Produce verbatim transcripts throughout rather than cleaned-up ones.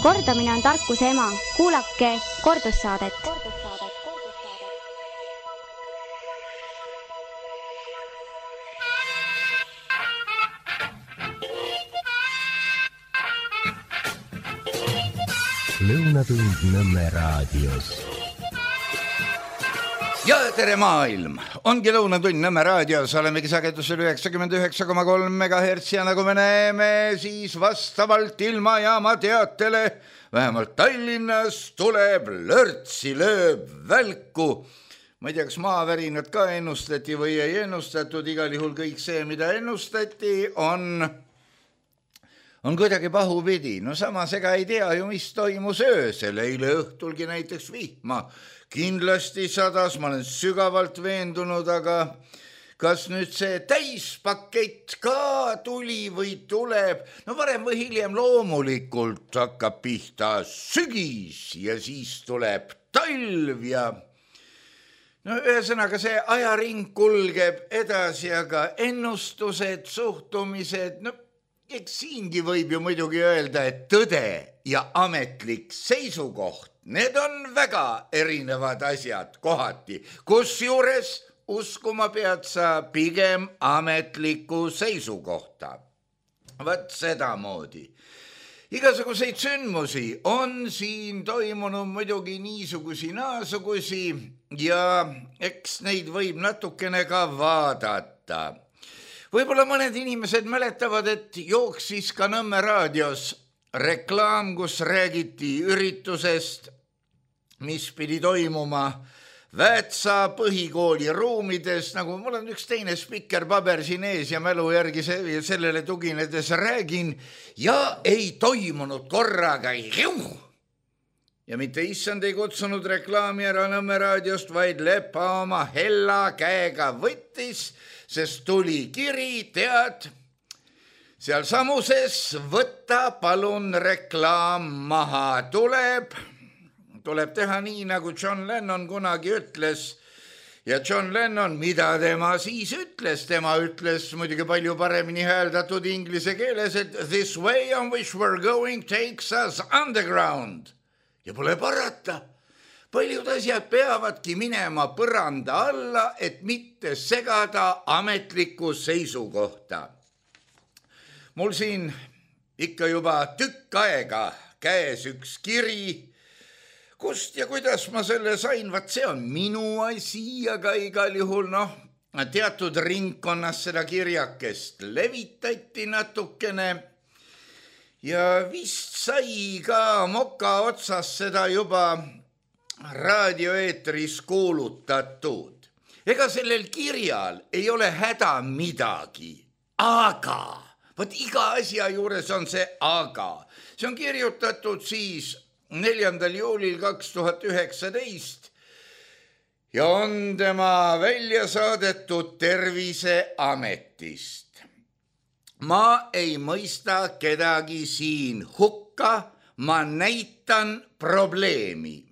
Kordamine on tarkuse ema. Kuulake kordussaadet. Lõunatund Nõmme raadios. Ja tere maailm! Ongi Lõunatund Nõmme raadios, olemegi sagedusel üheksakümmend üheksa koma kolm megahertsi ja nagu me näeme, siis vastavalt ilmajaama teatele vähemalt Tallinnas tuleb lörtsi, lööb välku. Ma ei tea, kas maavärinad ka ennustati või ei ennustatud, igal juhul kõik see, mida ennustati, on... on kuidagi pahupidi. No samas ega ei tea ju, mis toimus öösel. Eile õhtulgi näiteks vihma. Kindlasti sadas, ma olen sügavalt veendunud, aga kas nüüd see täispakett ka tuli või tuleb? No varem või hiljem loomulikult hakkab pihta sügis ja siis tuleb talv ja... No ühesõnaga see ajaring kulgeb edasi, aga ennustused, suhtumised... No, eks siingi võib ju muidugi öelda, et tõde ja ametlik seisukoht, need on väga erinevad asjad kohati, kusjuures uskuma pead sa pigem ametlikku seisukohta. Vaat sedamoodi. Igasuguseid sündmusi on siin toimunud muidugi niisugusi naasugusi ja eks neid võib natukene ka vaadata. Võib-olla mõned inimesed mäletavad, et jooksis ka Nõmme raadios reklaam, kus räägiti üritusest, mis pidi toimuma Väätsa põhikooli ruumides, nagu mul on üks teine spikerpaber siin ees ja mälu järgi sellele tuginedes räägin, ja ei toimunud korraga juh! Ja mitte issand ei kutsunud reklaami ära Nõmme raadiost, vaid Lepa oma hella käega võttis, sest tuli kiri, tead, seal samuses võtta palun reklaam maha. Tuleb, tuleb teha nii, nagu John Lennon kunagi ütles. Ja John Lennon, mida tema siis ütles? Tema ütles muidugi palju paremini hääldatud inglise keeles, et this way on which we're going takes us underground. Ja pole parata. Paljud asjad peavadki minema põranda alla, et mitte segada ametlikku seisukohta. Mul siin ikka juba tükk aega käes üks kiri, kust ja kuidas ma selle sain, vaat see on minu asi, aga igal juhul noh, teatud ringkonnas seda kirjakest levitati natukene ja vist sai ka moka otsas seda juba raadioeetris kuulutatud. Ega sellel kirjal ei ole häda midagi, aga, võt iga asja juures on see aga. See on kirjutatud siis neljandal juulil kaks tuhat üheksateist ja on tema välja saadetud Terviseametist. Ma ei mõista kedagi siin hukka, ma näitan probleemi.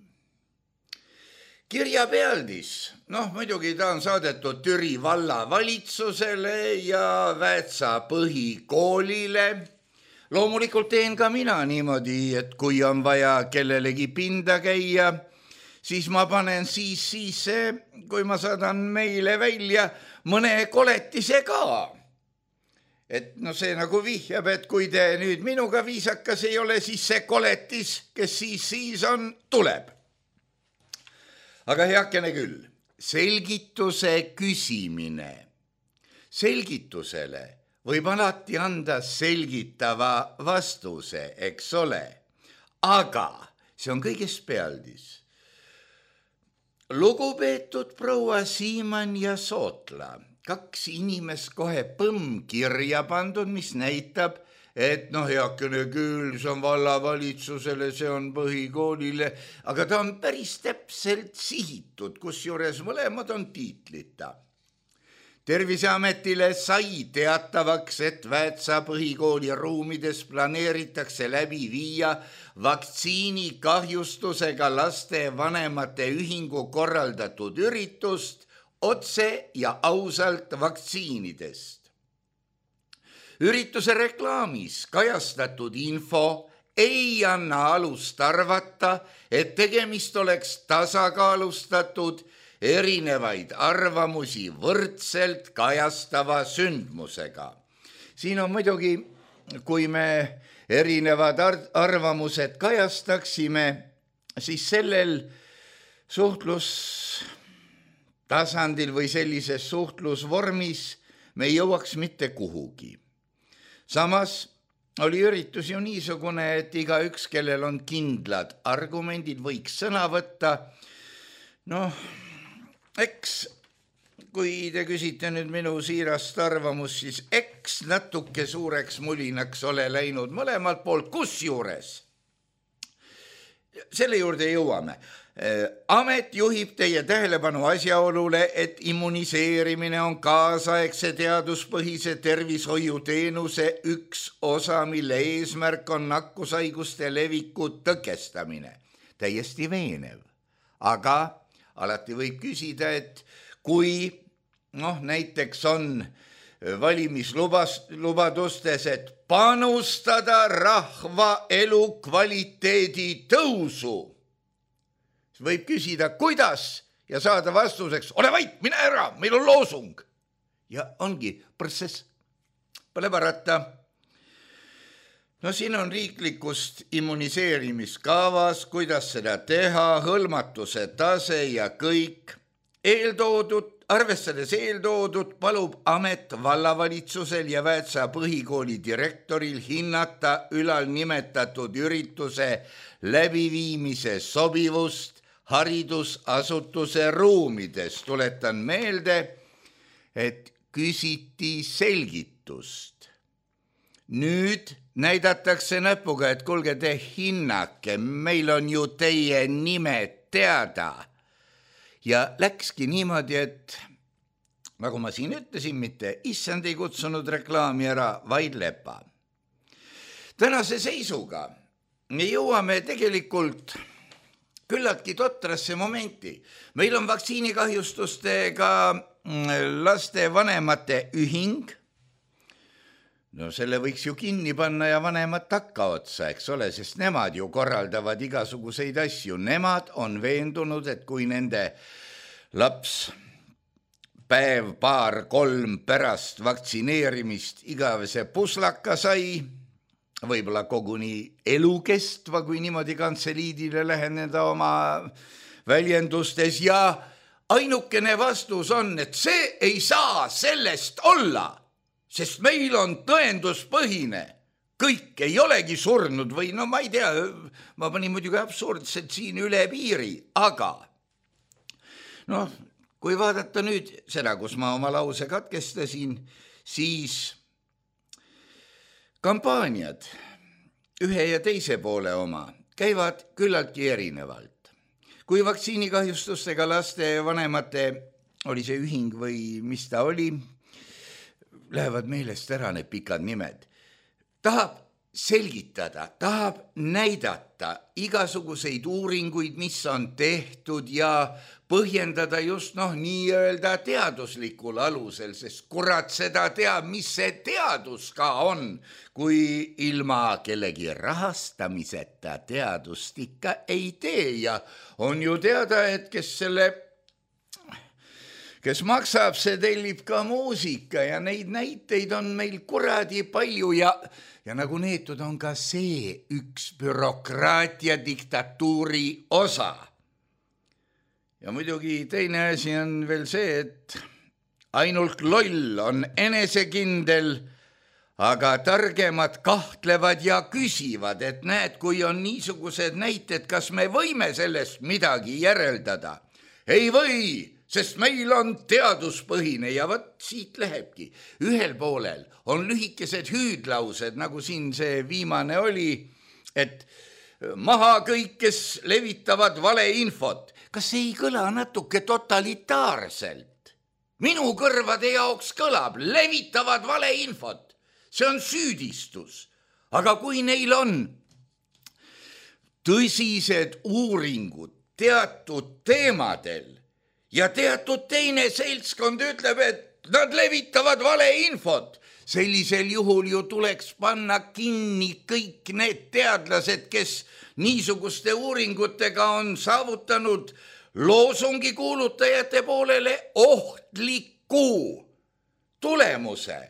Kirja pealdis, noh muidugi ta on saadetud Türi valla valitsusele ja Väätsa põhikoolile. Loomulikult teen ka mina niimoodi, et kui on vaja kellelegi pinda käia, siis ma panen siis sisse, kui ma saadan meile välja mõne koletise ka. Et no see nagu vihjab, et kui te nüüd minuga viisakas ei ole, siis see koletis, kes siis siis on, tuleb. Aga heakene küll, selgituse küsimine. Selgitusele võib alati anda selgitava vastuse, eks ole. Aga see on kõigest pealdis. Lugupeetud proua Siimann ja Sootla, kaks inimest kohe põmm kirja pandud, mis näitab, et noh, heakene küll, see on vallavalitsusele, see on põhikoolile, aga ta on päris täpselt sihitud, kusjuures mõlemad on tiitlita. Terviseametile sai teatavaks, et Väätsa põhikooli ruumides planeeritakse läbi viia vaktsiini kahjustusega laste vanemate ühingu korraldatud üritust otse ja ausalt vaktsiinidest. Ürituse reklaamis kajastatud info ei anna alust arvata, et tegemist oleks tasakaalustatud erinevaid arvamusi võrdselt kajastava sündmusega. Siin on muidugi, kui me erinevad arvamused kajastaksime, siis sellel suhtlustasandil või sellises suhtlusvormis me ei jõuaks mitte kuhugi. Samas oli üritus ju niisugune, et iga üks, kellel on kindlad argumendid, võiks sõna võtta. Noh, eks kui te küsite nüüd minu siirast arvamus, siis eks natuke suureks mulinaks ole läinud mõlemalt poolt, kus juures. Selle juurde jõuame. Amet juhib teie tähelepanu asjaolule, et immuniseerimine on kaasaegse teaduspõhise tervishoiuteenuse üks osa, mille eesmärk on nakkushaiguste leviku tõkestamine. Täiesti veenev. Aga alati võib küsida, et kui noh, näiteks on valimislubadustes, et panustada rahva elukvaliteedi tõusu, siis võib küsida, kuidas ja saada vastuseks, ole vait, mine ära, meil on loosung. Ja ongi protsess, pole parata. No siin on riiklikust immuniseerimiskavas, kuidas seda teha, hõlmatuse tase ja kõik. Eeltoodud, arvestades eeltoodud, palub amet vallavalitsusel ja Väätsa põhikooli direktoril hinnata ülal nimetatud ürituse läbiviimise sobivust haridusasutuse ruumides. Tuletan meelde, et küsiti selgitust. Nüüd näidatakse näpuga, et kuulge te hinnake, meil on ju teie nimed teada. Ja läkski niimoodi, et nagu ma siin ütlesin, mitte issand ei kutsunud reklaami ära, vaid lepa. Tänase seisuga me jõuame tegelikult küllaltki totrasse momenti. Meil on vaktsiinikahjustustega laste vanemate ühing. No selle võiks ju kinni panna ja vanemad takka otsa, eks ole, sest nemad ju korraldavad igasuguseid asju. Nemad on veendunud, et kui nende laps päev, paar, kolm pärast vaktsineerimist igavese puslaka sai, võib-olla koguni elukestva, kui niimoodi kantseliidile läheneda oma väljendustes, ja ainukene vastus on, et see ei saa sellest olla, sest meil on tõenduspõhine. Kõik ei olegi surnud või no ma ei tea, ma panin muidugi absurdselt siin üle piiri, aga noh, kui vaadata nüüd seda, kus ma oma lause katkestasin, siis kampaaniad ühe ja teise poole oma käivad küllaltki erinevalt. Kui vaktsiinikahjustustega laste vanemate oli see ühing või mis ta oli, lähevad meelest ära need pikad nimed. Tahab selgitada, tahab näidata igasuguseid uuringuid, mis on tehtud ja põhjendada just noh, nii-öelda teaduslikul alusel, sest kurat seda teab, mis see teadus ka on, kui ilma kellegi rahastamiseta teadust ikka ei tee ja on ju teada, et kes selle kes maksab, see tellib ka muusika ja neid näiteid on meil kuradi palju ja, ja nagu neetud on ka see üks bürokraatia diktatuuri osa. Ja muidugi teine asi on veel see, et ainult loll on enesekindel, aga targemad kahtlevad ja küsivad, et näed, kui on niisugused näited, kas me võime sellest midagi järeldada? Ei või! Sest meil on teaduspõhine ja võt siit lähebki. Ühel poolel on lühikesed hüüdlaused, nagu siin see viimane oli, et maha kõik, kes levitavad valeinfot. Kas ei kõla natuke totalitaarselt? Minu kõrvade jaoks kõlab, levitavad valeinfot. See on süüdistus. Aga kui neil on tõsised uuringud teatud teemadel, ja teatud teine seltskond ütleb, et nad levitavad valeinfot, sellisel juhul ju tuleks panna kinni kõik need teadlased, kes niisuguste uuringutega on saavutanud loosungi kuulutajate poolele ohtliku tulemuse.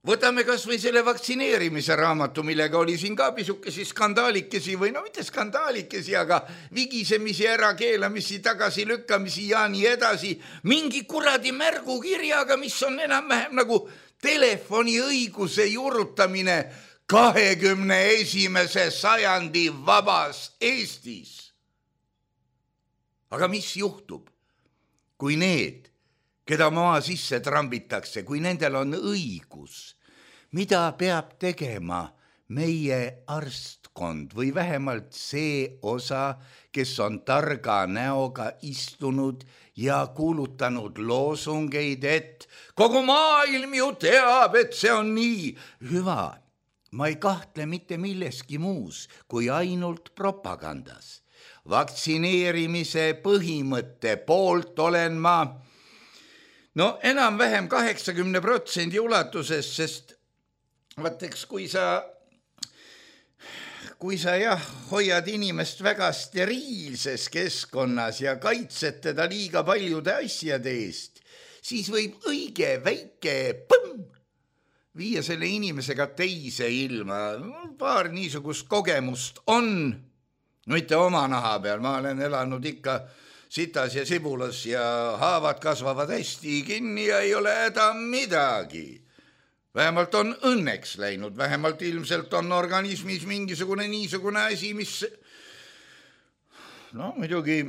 Võtame kas või selle vaktsineerimise raamatu, millega oli siin ka pisukesi skandaalikesi või no mitte skandaalikesi, aga vigisemisi, ärakeelamisi, tagasilükkamisi ja nii edasi. Mingi kuradi märgukirjaga, mis on enam-vähem nagu telefoniõiguse juurutamine kahekümne esimese sajandi vabas Eestis. Aga mis juhtub, kui need, keda maa sisse trambitakse, kui nendel on õigus, mida peab tegema meie arstkond või vähemalt see osa, kes on targa näoga istunud ja kuulutanud loosungeid, et kogu maailm ju teab, et see on nii. Hüva, ma ei kahtle mitte milleski muus kui ainult propagandas. Vaktsineerimise põhimõtte poolt olen ma no enam-vähem kaheksakümne protsendi ulatuses, sest vaateks, kui sa, kui sa jah, hoiad inimest väga steriilses keskkonnas ja kaitsed teda liiga paljude asjade eest, siis võib õige väike põmm viia selle inimesega teise ilma. Paar niisugust kogemust on, mitte oma naha peal, ma olen elanud ikka sitas ja sibulas ja haavad kasvavad hästi kinni ja ei ole häda midagi. Vähemalt on õnneks läinud, vähemalt ilmselt on organismis mingisugune niisugune asi, mis no muidugi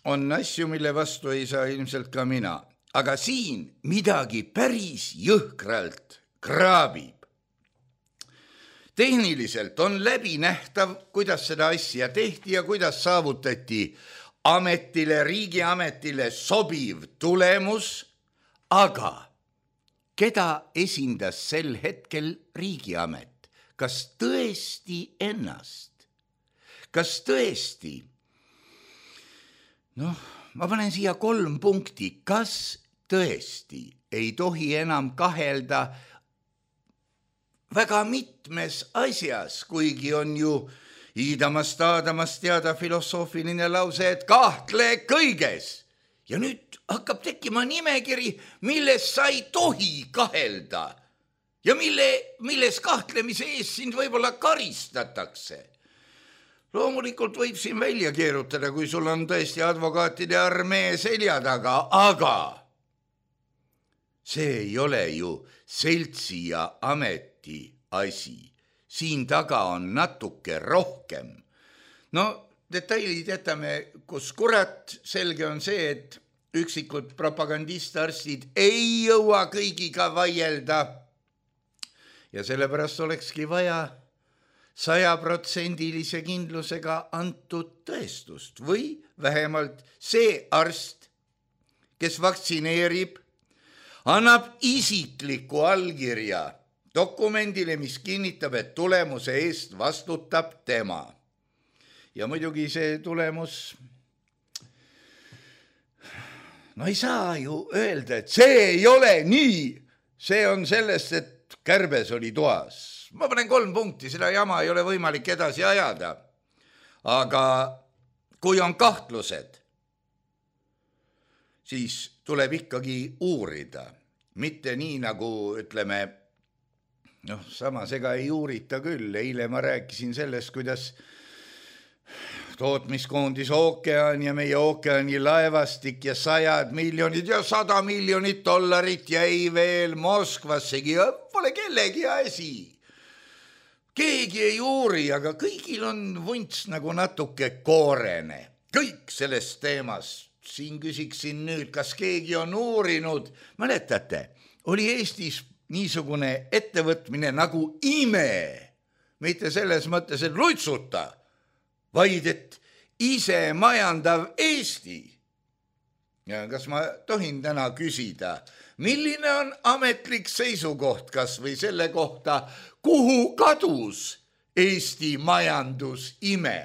on asju, mille vastu ei saa ilmselt ka mina. Aga siin midagi päris jõhkralt kraabib. Tehniliselt on läbinähtav, kuidas seda asja tehti ja kuidas saavutati ametile, riigiametile sobiv tulemus, aga keda esindas sel hetkel riigiamet? Kas tõesti ennast? Kas tõesti? Noh, ma panen siia kolm punkti. Kas tõesti ei tohi enam kahelda väga mitmes asjas, kuigi on ju iidamast aadamast teada filosoofiline lause, et kahtle kõiges. Ja nüüd hakkab tekkima nimekiri, milles sa ei tohi kahelda ja mille, milles kahtlemise ees sind võib-olla karistatakse. Loomulikult võib siin välja keerutada, kui sul on tõesti advokaatide armee selja taga, aga see ei ole ju seltsi ja ameti asi. Siin taga on natuke rohkem. No, detailid jätame, kus kurat, selge on see, et üksikud propagandistarstid ei jõua kõigiga vaielda. Ja sellepärast olekski vaja sajaprotsendilise kindlusega antud tõestust või vähemalt see arst, kes vaktsineerib, annab isikliku allkirja dokumendile, mis kinnitab, et tulemuse eest vastutab tema. Ja muidugi see tulemus, no ei saa ju öelda, et see ei ole nii. See on sellest, et kärbes oli toas. Ma panen kolm punkti, seda jama ei ole võimalik edasi ajada. Aga kui on kahtlused, siis tuleb ikkagi uurida. Mitte nii nagu, ütleme, noh, samas ega ei uurita küll. Eile ma rääkisin sellest, kuidas tootmiskoondis ookean ja meie ookeani laevastik ja sajad miljonid ja sada miljonit dollarit jäi veel Moskvassegi ja pole kellegi asi. Keegi ei uuri, aga kõigil on vunts nagu natuke koorene. Kõik sellest teemast. Siin küsiksin nüüd, kas keegi on uurinud. Mäletate, oli Eestis niisugune ettevõtmine nagu ime. Mitte selles mõttes, et lutsuta, vaid et ise majandav Eesti. Ja kas ma tohin täna küsida, milline on ametlik seisukoht kas või selle kohta, kuhu kadus Eesti majandus ime?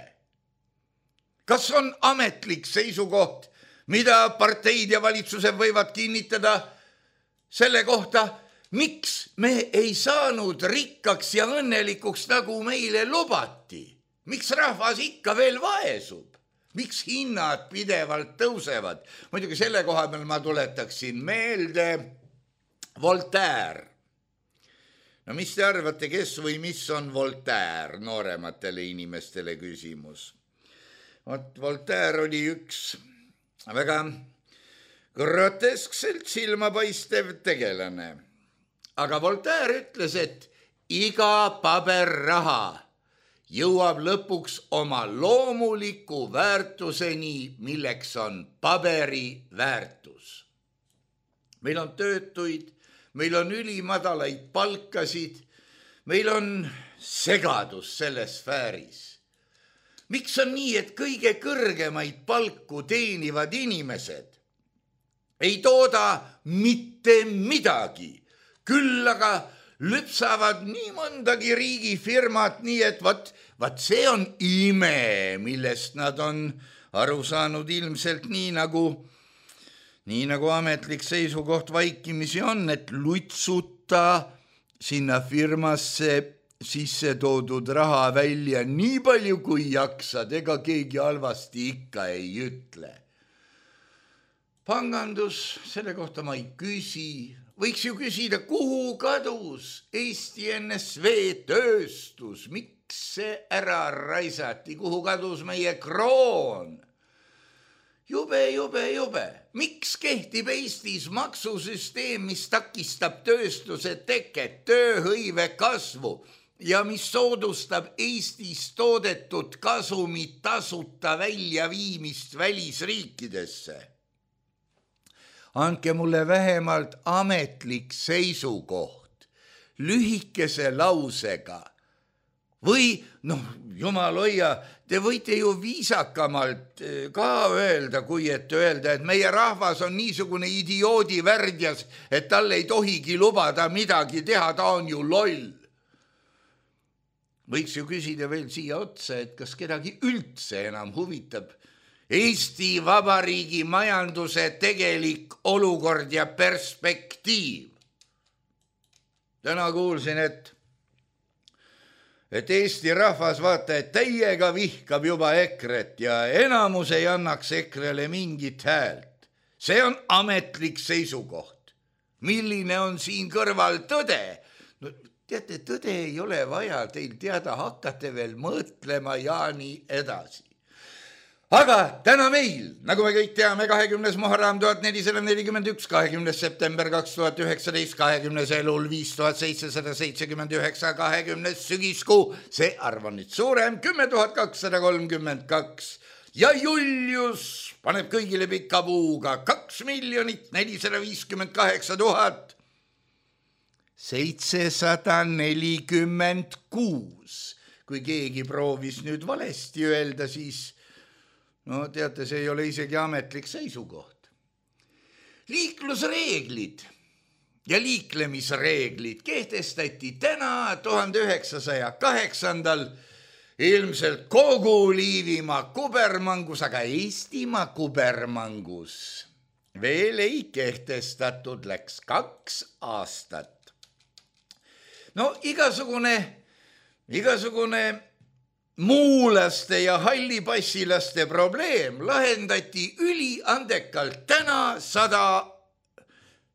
Kas on ametlik seisukoht, mida parteid ja valitsused võivad kinnitada selle kohta, miks me ei saanud rikkaks ja õnnelikuks, nagu meile lubati? Miks rahvas ikka veel vaesub? Miks hinnad pidevalt tõusevad? Muidugi selle koha peal ma tuletaksin meelde Voltaire. No mis te arvate, kes või mis on Voltaire? Noorematele inimestele küsimus. Voltaire oli üks väga groteskselt silmapaistev tegelane. Aga Voltaire ütles, et iga paberraha jõuab lõpuks oma loomuliku väärtuseni, milleks on paberi väärtus. Meil on töötuid, meil on ülimadalaid palkasid, meil on segadus selles sfääris. Miks on nii, et kõige kõrgemaid palku teenivad inimesed ei tooda mitte midagi, küll aga lüpsavad nii mõndagi riigifirmat, nii et vat, vat see on ime, millest nad on aru saanud ilmselt nii nagu, nii nagu ametlik seisukoht vaikimisi on, et lutsuta sinna firmasse sisse toodud raha välja nii palju kui jaksad, ega keegi halvasti ikka ei ütle. Pangandus, selle kohta ma ei küsi. Võiks ju küsida, kuhu kadus Eesti N S V tööstus, miks see ära raisati, kuhu kadus meie kroon? Jube, jube, jube. Miks kehtib Eestis maksusüsteem, mis takistab tööstuse teket, tööhõive kasvu ja mis soodustab Eestis toodetud kasumit tasuta väljaviimist välisriikidesse? Andke mulle vähemalt ametlik seisukoht lühikese lausega. Või, noh, jumal hoia, te võite ju viisakamalt ka öelda, kui et öelda, et meie rahvas on niisugune idioodi värdjas, et tal ei tohigi lubada midagi teha, ta on ju loll. Võiks ju küsida veel siia otsa, et kas kedagi üldse enam huvitab Eesti Vabariigi majanduse tegelik olukord ja perspektiiv. Täna kuulsin, et, et Eesti rahvas vaata, et täiega vihkab juba EKRE-t ja enamus ei annaks EKRE-le mingit häält. See on ametlik seisukoht. Milline on siin kõrval tõde? No, teate, tõde ei ole vaja teil teada, hakkate veel mõtlema ja nii edasi. Aga täna meil, nagu me kõik teame, kahekümnes Muharram tuhat nelisada nelikümmend üks, kahekümnes september kaks tuhat üheksateist, kahekümnes elul viis tuhat seitsesada seitsekümmend üheksa, kahekümnes sügiskuu, see arv on nüüd suurem, kümme tuhat kakssada kolmkümmend kaks ja Julius paneb kõigile pika puuga kaks miljonit nelisada viiskümmend kaheksa tuhat seitsesada nelikümmend kuus. Kui keegi proovis nüüd valesti öelda, siis no teate, see ei ole isegi ametlik seisukoht. Liiklusreeglid ja liiklemisreeglid kehtestati täna tuhande üheksasaja kaheksandal ilmselt kogu Liivimaa kubermangus, aga Eestimaa kubermangus veel ei kehtestatud, läks kaks aastat. No igasugune, igasugune muulaste ja hallipassilaste probleem lahendati üliandekalt täna sada,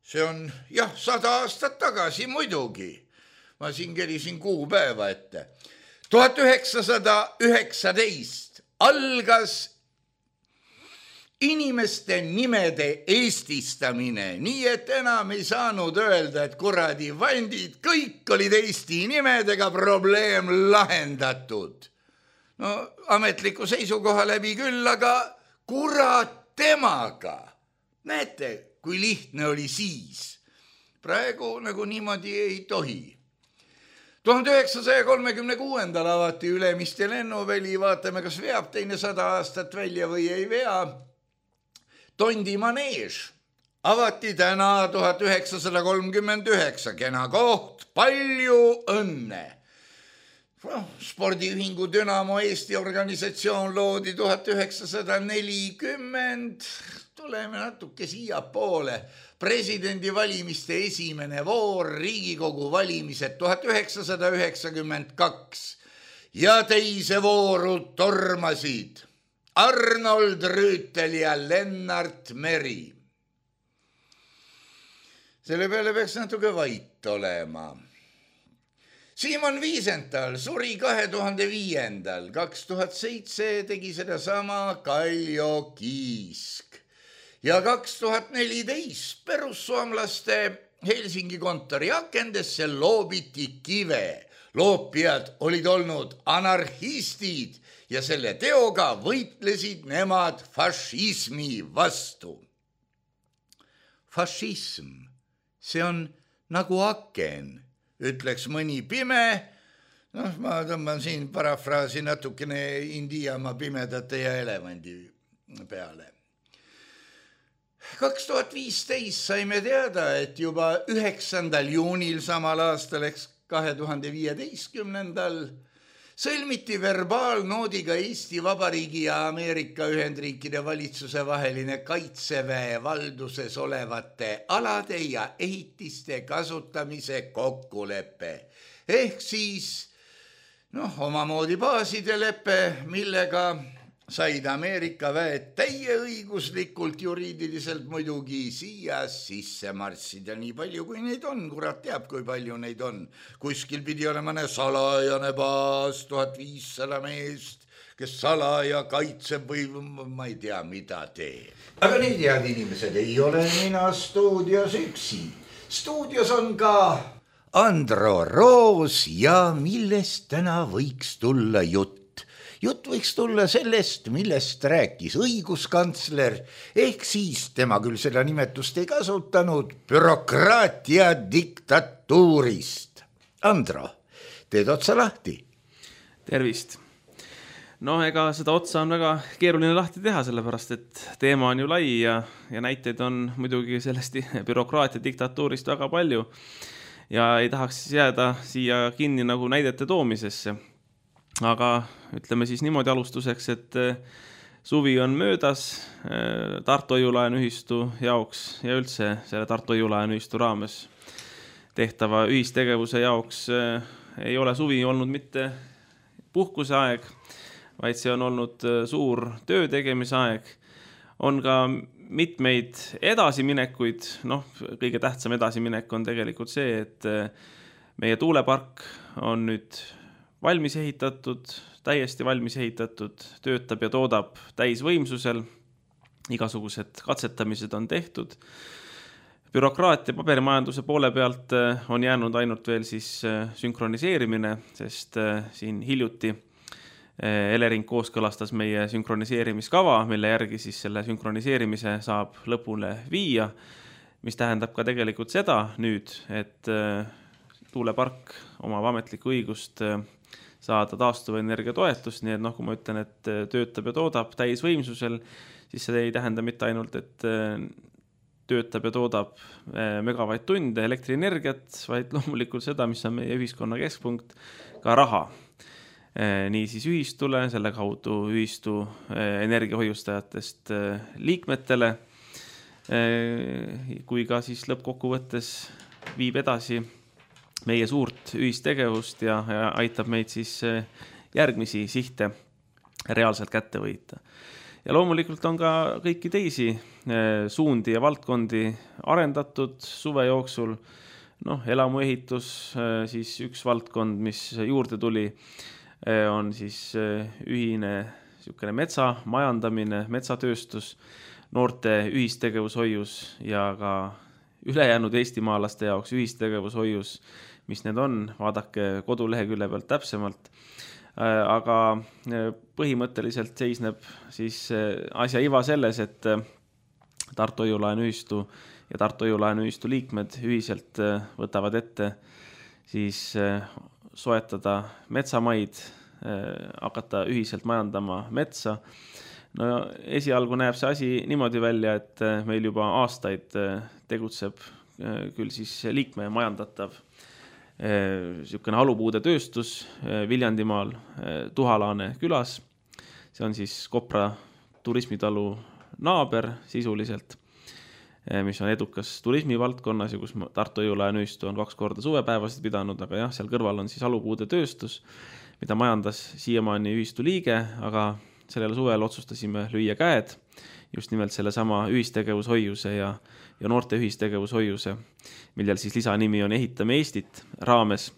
see on jah, sada aastat tagasi muidugi. Ma siin kerisin kuupäeva ette. tuhat üheksasada üheksateist algas inimeste nimede eestistamine, nii et enam ei saanud öelda, et kuradi vandid, kõik olid Eesti nimedega, probleem lahendatud. No ametliku seisukoha läbi küll, aga kurat temaga. Näete, kui lihtne oli siis. Praegu nagu niimoodi ei tohi. tuhande üheksasaja kolmekümne kuuendal avati Ülemiste lennuväli, vaatame, kas veab teine sada aastat välja või ei vea. Tondi maneež avati täna tuhat üheksasada kolmkümmend üheksa, kena koht, palju õnne. Spordiühingu Dünamo Eesti organisatsioon loodi tuhat üheksasada nelikümmend. Tuleme natuke siia poole. Presidendi valimiste esimene voor, Riigikogu valimised tuhat üheksasada üheksakümmend kaks ja teise vooru tormasid Arnold Rüütel ja Lennart Meri. Selle peale peaks natuke vait olema. Simon Wiesenthal suri kahe tuhande viiendal, kaks tuhat seitse tegi seda sama Kaljo Kiisk ja kaks tuhat neliteist perussuomlaste Helsingi kontori akendesse loobiti kive. Loopijad olid olnud anarhistid ja selle teoga võitlesid nemad fašismi vastu. Fašism, see on nagu aken. Ütleks mõni pime, noh, ma tõmban siin parafraasi natukene Indiamaa pimedate ja elevandi peale. kaks tuhat viisteist saime teada, et juba üheksandal juunil samal aastal, eks kahe tuhande viieteistkümnendal, sõlmiti verbaalnoodiga Eesti Vabariigi ja Ameerika Ühendriikide valitsuse vaheline kaitseväe valduses olevate alade ja ehitiste kasutamise kokkulepe. Ehk siis noh, omamoodi baaside lepe, millega said Ameerika väed täieõiguslikult juriidiliselt muidugi siia sisse marssida. Nii palju, kui neid on, kurat teab, kui palju neid on. Kuskil pidi olema ne salajane baas, tuhat viissada meest, kes salaja kaitseb või ma ei tea, mida teeb. Aga need head inimesed, ei ole mina stuudios üksi. Stuudios on ka Andro Roos ja millest täna võiks tulla jutt. Jutt võiks tulla sellest, millest rääkis õiguskantsler, ehk siis tema küll seda nimetust ei kasutanud, bürokraatia diktatuurist. Andro, teed otsa lahti? Tervist. No ega seda otsa on väga keeruline lahti teha, sellepärast et teema on ju lai ja, ja näiteid on muidugi sellest bürokraatia diktatuurist väga palju ja ei tahaks jääda siia kinni nagu näidete toomisesse. Aga ütleme siis niimoodi alustuseks, et suvi on möödas Tartu Hoiu-laenuühistu jaoks ja üldse selle Tartu Hoiu-laenuühistu raames tehtava ühistegevuse jaoks ei ole suvi olnud mitte puhkuse aeg, vaid see on olnud suur töö tegemise aeg. On ka mitmeid edasiminekuid, noh, kõige tähtsam edasiminek on tegelikult see, et meie tuulepark on nüüd valmis ehitatud, täiesti valmis ehitatud, töötab ja toodab täisvõimsusel, igasugused katsetamised on tehtud. Bürokraatia paberimajanduse poole pealt on jäänud ainult veel siis sünkroniseerimine, sest siin hiljuti Elering kooskõlastas meie sünkroniseerimiskava, mille järgi siis selle sünkroniseerimise saab lõpule viia, mis tähendab ka tegelikult seda nüüd, et tuulepark omab ametlikku õigust saada taastuvenergia toetust, nii et noh, kui ma ütlen, et töötab ja toodab täisvõimsusel, siis see ei tähenda mitte ainult, et töötab ja toodab megavatt-tunde elektrienergiat, vaid loomulikult seda, mis on meie ühiskonna keskpunkt, ka raha. Nii siis ühistule, selle kaudu ühistu energiahoiustajatest liikmetele, kui ka siis lõppkokkuvõttes viib edasi meie suurt ühistegevust ja, ja aitab meid siis järgmisi sihte reaalselt kätte võita. Ja loomulikult on ka kõiki teisi suundi ja valdkondi arendatud suve jooksul. Noh, elamuehitus, siis üks valdkond, mis juurde tuli, on siis ühine niisugune metsa majandamine, metsatööstus, noorte ühistegevushoius ja ka ülejäänud eestimaalaste jaoks ühistegevushoius, mis need on, vaadake kodulehekülje pealt täpsemalt. Aga põhimõtteliselt seisneb siis asja iva selles, et Tartu Hoiu-laenuühistu ja Tartu Hoiu-laenuühistu liikmed ühiselt võtavad ette siis soetada metsamaid, hakata ühiselt majandama metsa. No esialgu näeb see asi niimoodi välja, et meil juba aastaid tegutseb küll siis liikme majandatav niisugune halupuude tööstus Viljandimaal Tuhalaane külas. See on siis Kopra turismitalu naaber sisuliselt, mis on edukas turismivaldkonnas ja kus Tartu-Õiulae nüüstu on kaks korda suvepäevasid pidanud, aga jah, seal kõrval on siis halupuude tööstus, mida majandas siiamaani ühistu liige, aga sellel suvel otsustasime lüüa käed just nimelt selle sama ühistegevushoiuse ja, ja noorte ühistegevushoiuse, millel siis lisanimi on Ehitame Eestit raames.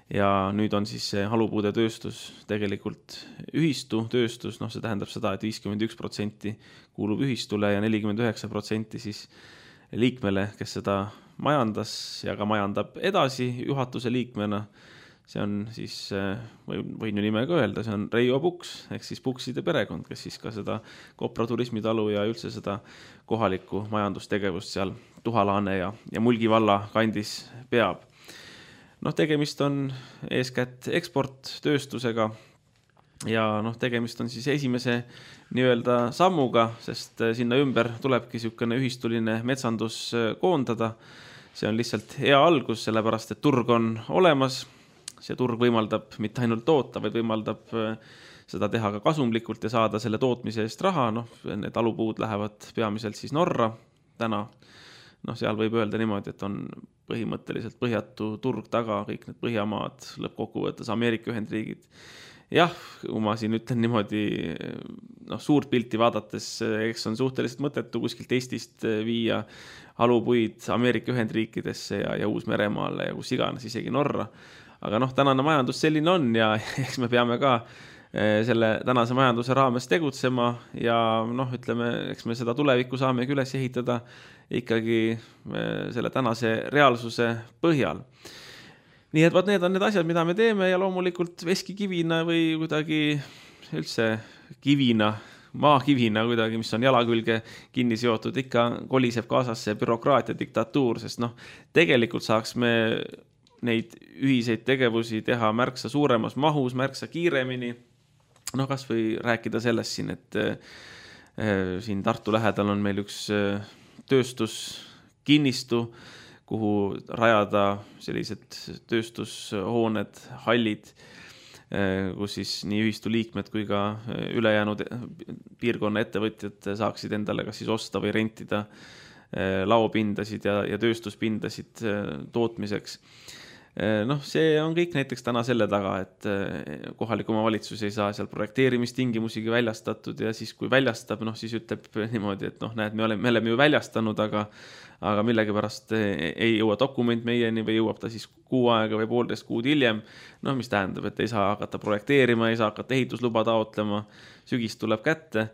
Ja nüüd on siis see halupuude tööstus tegelikult ühistu tööstus, noh see tähendab seda, et viiskümmend üks protsenti kuulub ühistule ja nelikümmend üheksa protsenti siis liikmele, kes seda majandas ja ka majandab edasi juhatuse liikmena. See on siis, võin ju nimega öelda, see on Reijo Puks, ehk siis Pukside perekond, kes siis ka seda Kopra turismitalu ja üldse seda kohalikku majandustegevust seal Tuhalaane ja, ja Mulgi valla kandis peab. Noh, tegemist on eeskätt eksporttööstusega ja noh, tegemist on siis esimese nii-öelda sammuga, sest sinna ümber tulebki niisugune ühistuline metsandus koondada. See on lihtsalt hea algus, sellepärast et turg on olemas. See turg võimaldab mitte ainult toota, vaid võimaldab seda teha ka kasumlikult ja saada selle tootmise eest raha. Noh, need alupuud lähevad peamiselt siis Norra täna. Noh, seal võib öelda niimoodi, et on põhimõtteliselt põhjatu turg taga, kõik need Põhjamaad, lõppkokkuvõttes Ameerika Ühendriigid. Jah, kui ma siin ütlen niimoodi, noh, suurt pilti vaadates, eks on suhteliselt mõttetu kuskilt Eestist viia alupuid Ameerika Ühendriikidesse ja, ja Uus-Meremaale ja kus iganes, isegi Norra. Aga noh, tänane majandus selline on ja eks me peame ka selle tänase majanduse raames tegutsema ja noh, ütleme, eks me seda tulevikku saame üles ehitada ikkagi selle tänase reaalsuse põhjal. Nii et vaat need on need asjad, mida me teeme ja loomulikult veskikivina või kuidagi üldse kivina, maakivina kuidagi, mis on jala külge kinni seotud, ikka koliseb kaasas see bürokraatia diktatuur, sest noh, tegelikult saaks me neid ühiseid tegevusi teha märksa suuremas mahus, märksa kiiremini. No kas või rääkida sellest siin, et äh, siin Tartu lähedal on meil üks äh, tööstuskinnistu, kuhu rajada sellised tööstushooned, hallid, äh, kus siis nii ühistu liikmed kui ka ülejäänud piirkonna ettevõtjad saaksid endale kas siis osta või rentida äh, laopindasid ja, ja tööstuspindasid äh, tootmiseks. Noh, see on kõik näiteks täna selle taga, et kohalik omavalitsus ei saa seal projekteerimistingimusigi väljastatud ja siis kui väljastab, noh siis ütleb niimoodi, et noh, näed, me oleme, me oleme ju väljastanud, aga, aga millegipärast ei jõua dokument meieni või jõuab ta siis kuu aega või poolteist kuud hiljem, noh, mis tähendab, et ei saa hakata projekteerima, ei saa hakata ehitusluba taotlema, sügis tuleb kätte.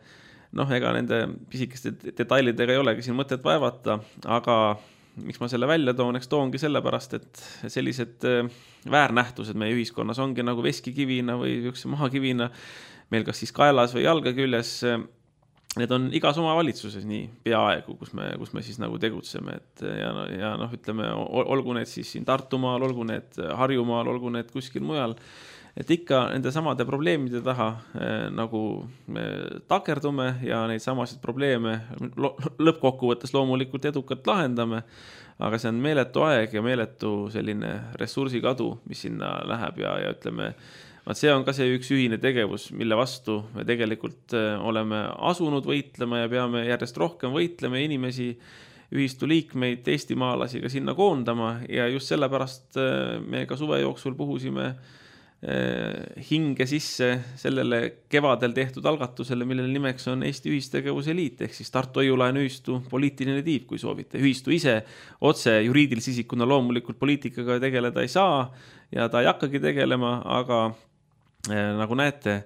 Noh, ega nende pisikeste detailidega ei olegi siin mõtet vaevata, aga miks ma selle välja toon, eks toongi sellepärast, et sellised väärnähtused meie ühiskonnas ongi nagu veskikivina või üks maakivina meil kas siis kaelas või jalga küljes. Need on igas omavalitsuses nii peaaegu, kus me, kus me siis nagu tegutseme. Et ja, ja noh, ütleme, olgu need siis siin Tartumaal, olgu need Harjumaal, olgu need kuskil mujal. Et ikka nende samade probleemide taha eh, nagu me takerdume ja neid samasid probleeme lo lõppkokkuvõttes loomulikult edukalt lahendame, aga see on meeletu aeg ja meeletu selline ressursikadu, mis sinna läheb ja, ja ütleme, vaat see on ka see üks ühine tegevus, mille vastu me tegelikult oleme asunud võitlema ja peame järjest rohkem võitlema inimesi, ühistu liikmeid, eestimaalasi ka sinna koondama ja just sellepärast me ka suve jooksul puhusime hinge sisse sellele kevadel tehtud algatusele, millele nimeks on Eesti Ühistegevuse Liit, ehk siis Tartu-Õiulae ühistu poliitiline tiib, kui soovite. Ühistu ise otse juriidilise isikuna loomulikult poliitikaga tegeleda ei saa ja ta ei hakkagi tegelema, aga eh, nagu näete,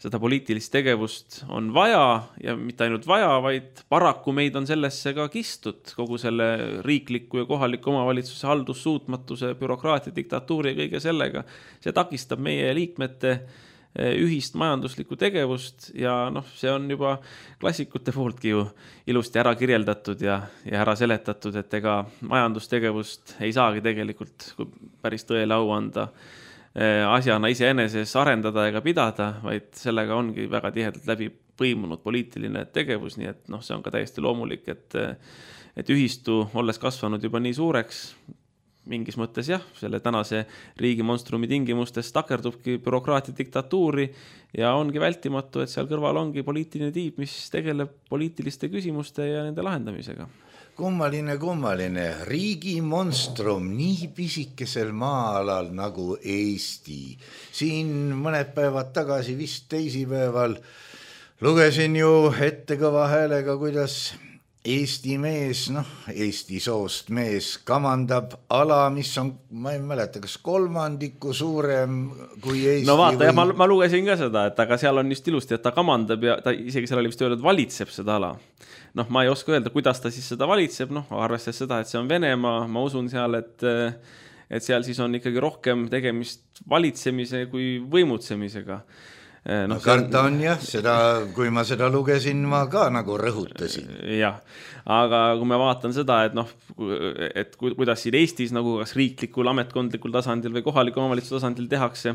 seda poliitilist tegevust on vaja ja mitte ainult vaja, vaid paraku meid on sellesse ka kistud kogu selle riikliku ja kohaliku omavalitsuse haldussuutmatuse, bürokraatia, diktatuuri ja kõige sellega. See takistab meie liikmete ühist majanduslikku tegevust ja noh, see on juba klassikute pooltki ju ilusti ära kirjeldatud ja, ja ära seletatud, et ega majandustegevust ei saagi tegelikult päris tõele au anda asjana iseeneses arendada ega pidada, vaid sellega ongi väga tihedalt läbi põimunud poliitiline tegevus, nii et noh, see on ka täiesti loomulik, et, et ühistu, olles kasvanud juba nii suureks, mingis mõttes jah, selle tänase riigi monstrumi tingimustes takerdubki bürokraatia diktatuuri ja ongi vältimatu, et seal kõrval ongi poliitiline tiib, mis tegeleb poliitiliste küsimuste ja nende lahendamisega. Kummaline, kummaline, riigi monstrum nii pisikesel maa-alal nagu Eesti. Siin mõned päevad tagasi, vist teisipäeval, lugesin ju ette kõva häälega, kuidas Eesti mees, noh, Eesti soost mees kamandab ala, mis on, ma ei mäleta, kas kolmandiku suurem kui Eesti. No vaata, või... ja ma, ma lugesin ka seda, et aga seal on just ilusti, et ta kamandab ja ta isegi seal oli vist öelnud, valitseb seda ala. Noh, ma ei oska öelda, kuidas ta siis seda valitseb, noh, arvestades seda, et see on Venemaa, ma usun seal, et, et seal siis on ikkagi rohkem tegemist valitsemise kui võimutsemisega. No, karta on jah, seda, kui ma seda lugesin, ma ka nagu rõhutasin. Jah, aga kui ma vaatan seda, et noh, et kuidas siin Eestis nagu kas riiklikul, ametkondlikul tasandil või kohaliku omavalitsuse tasandil tehakse,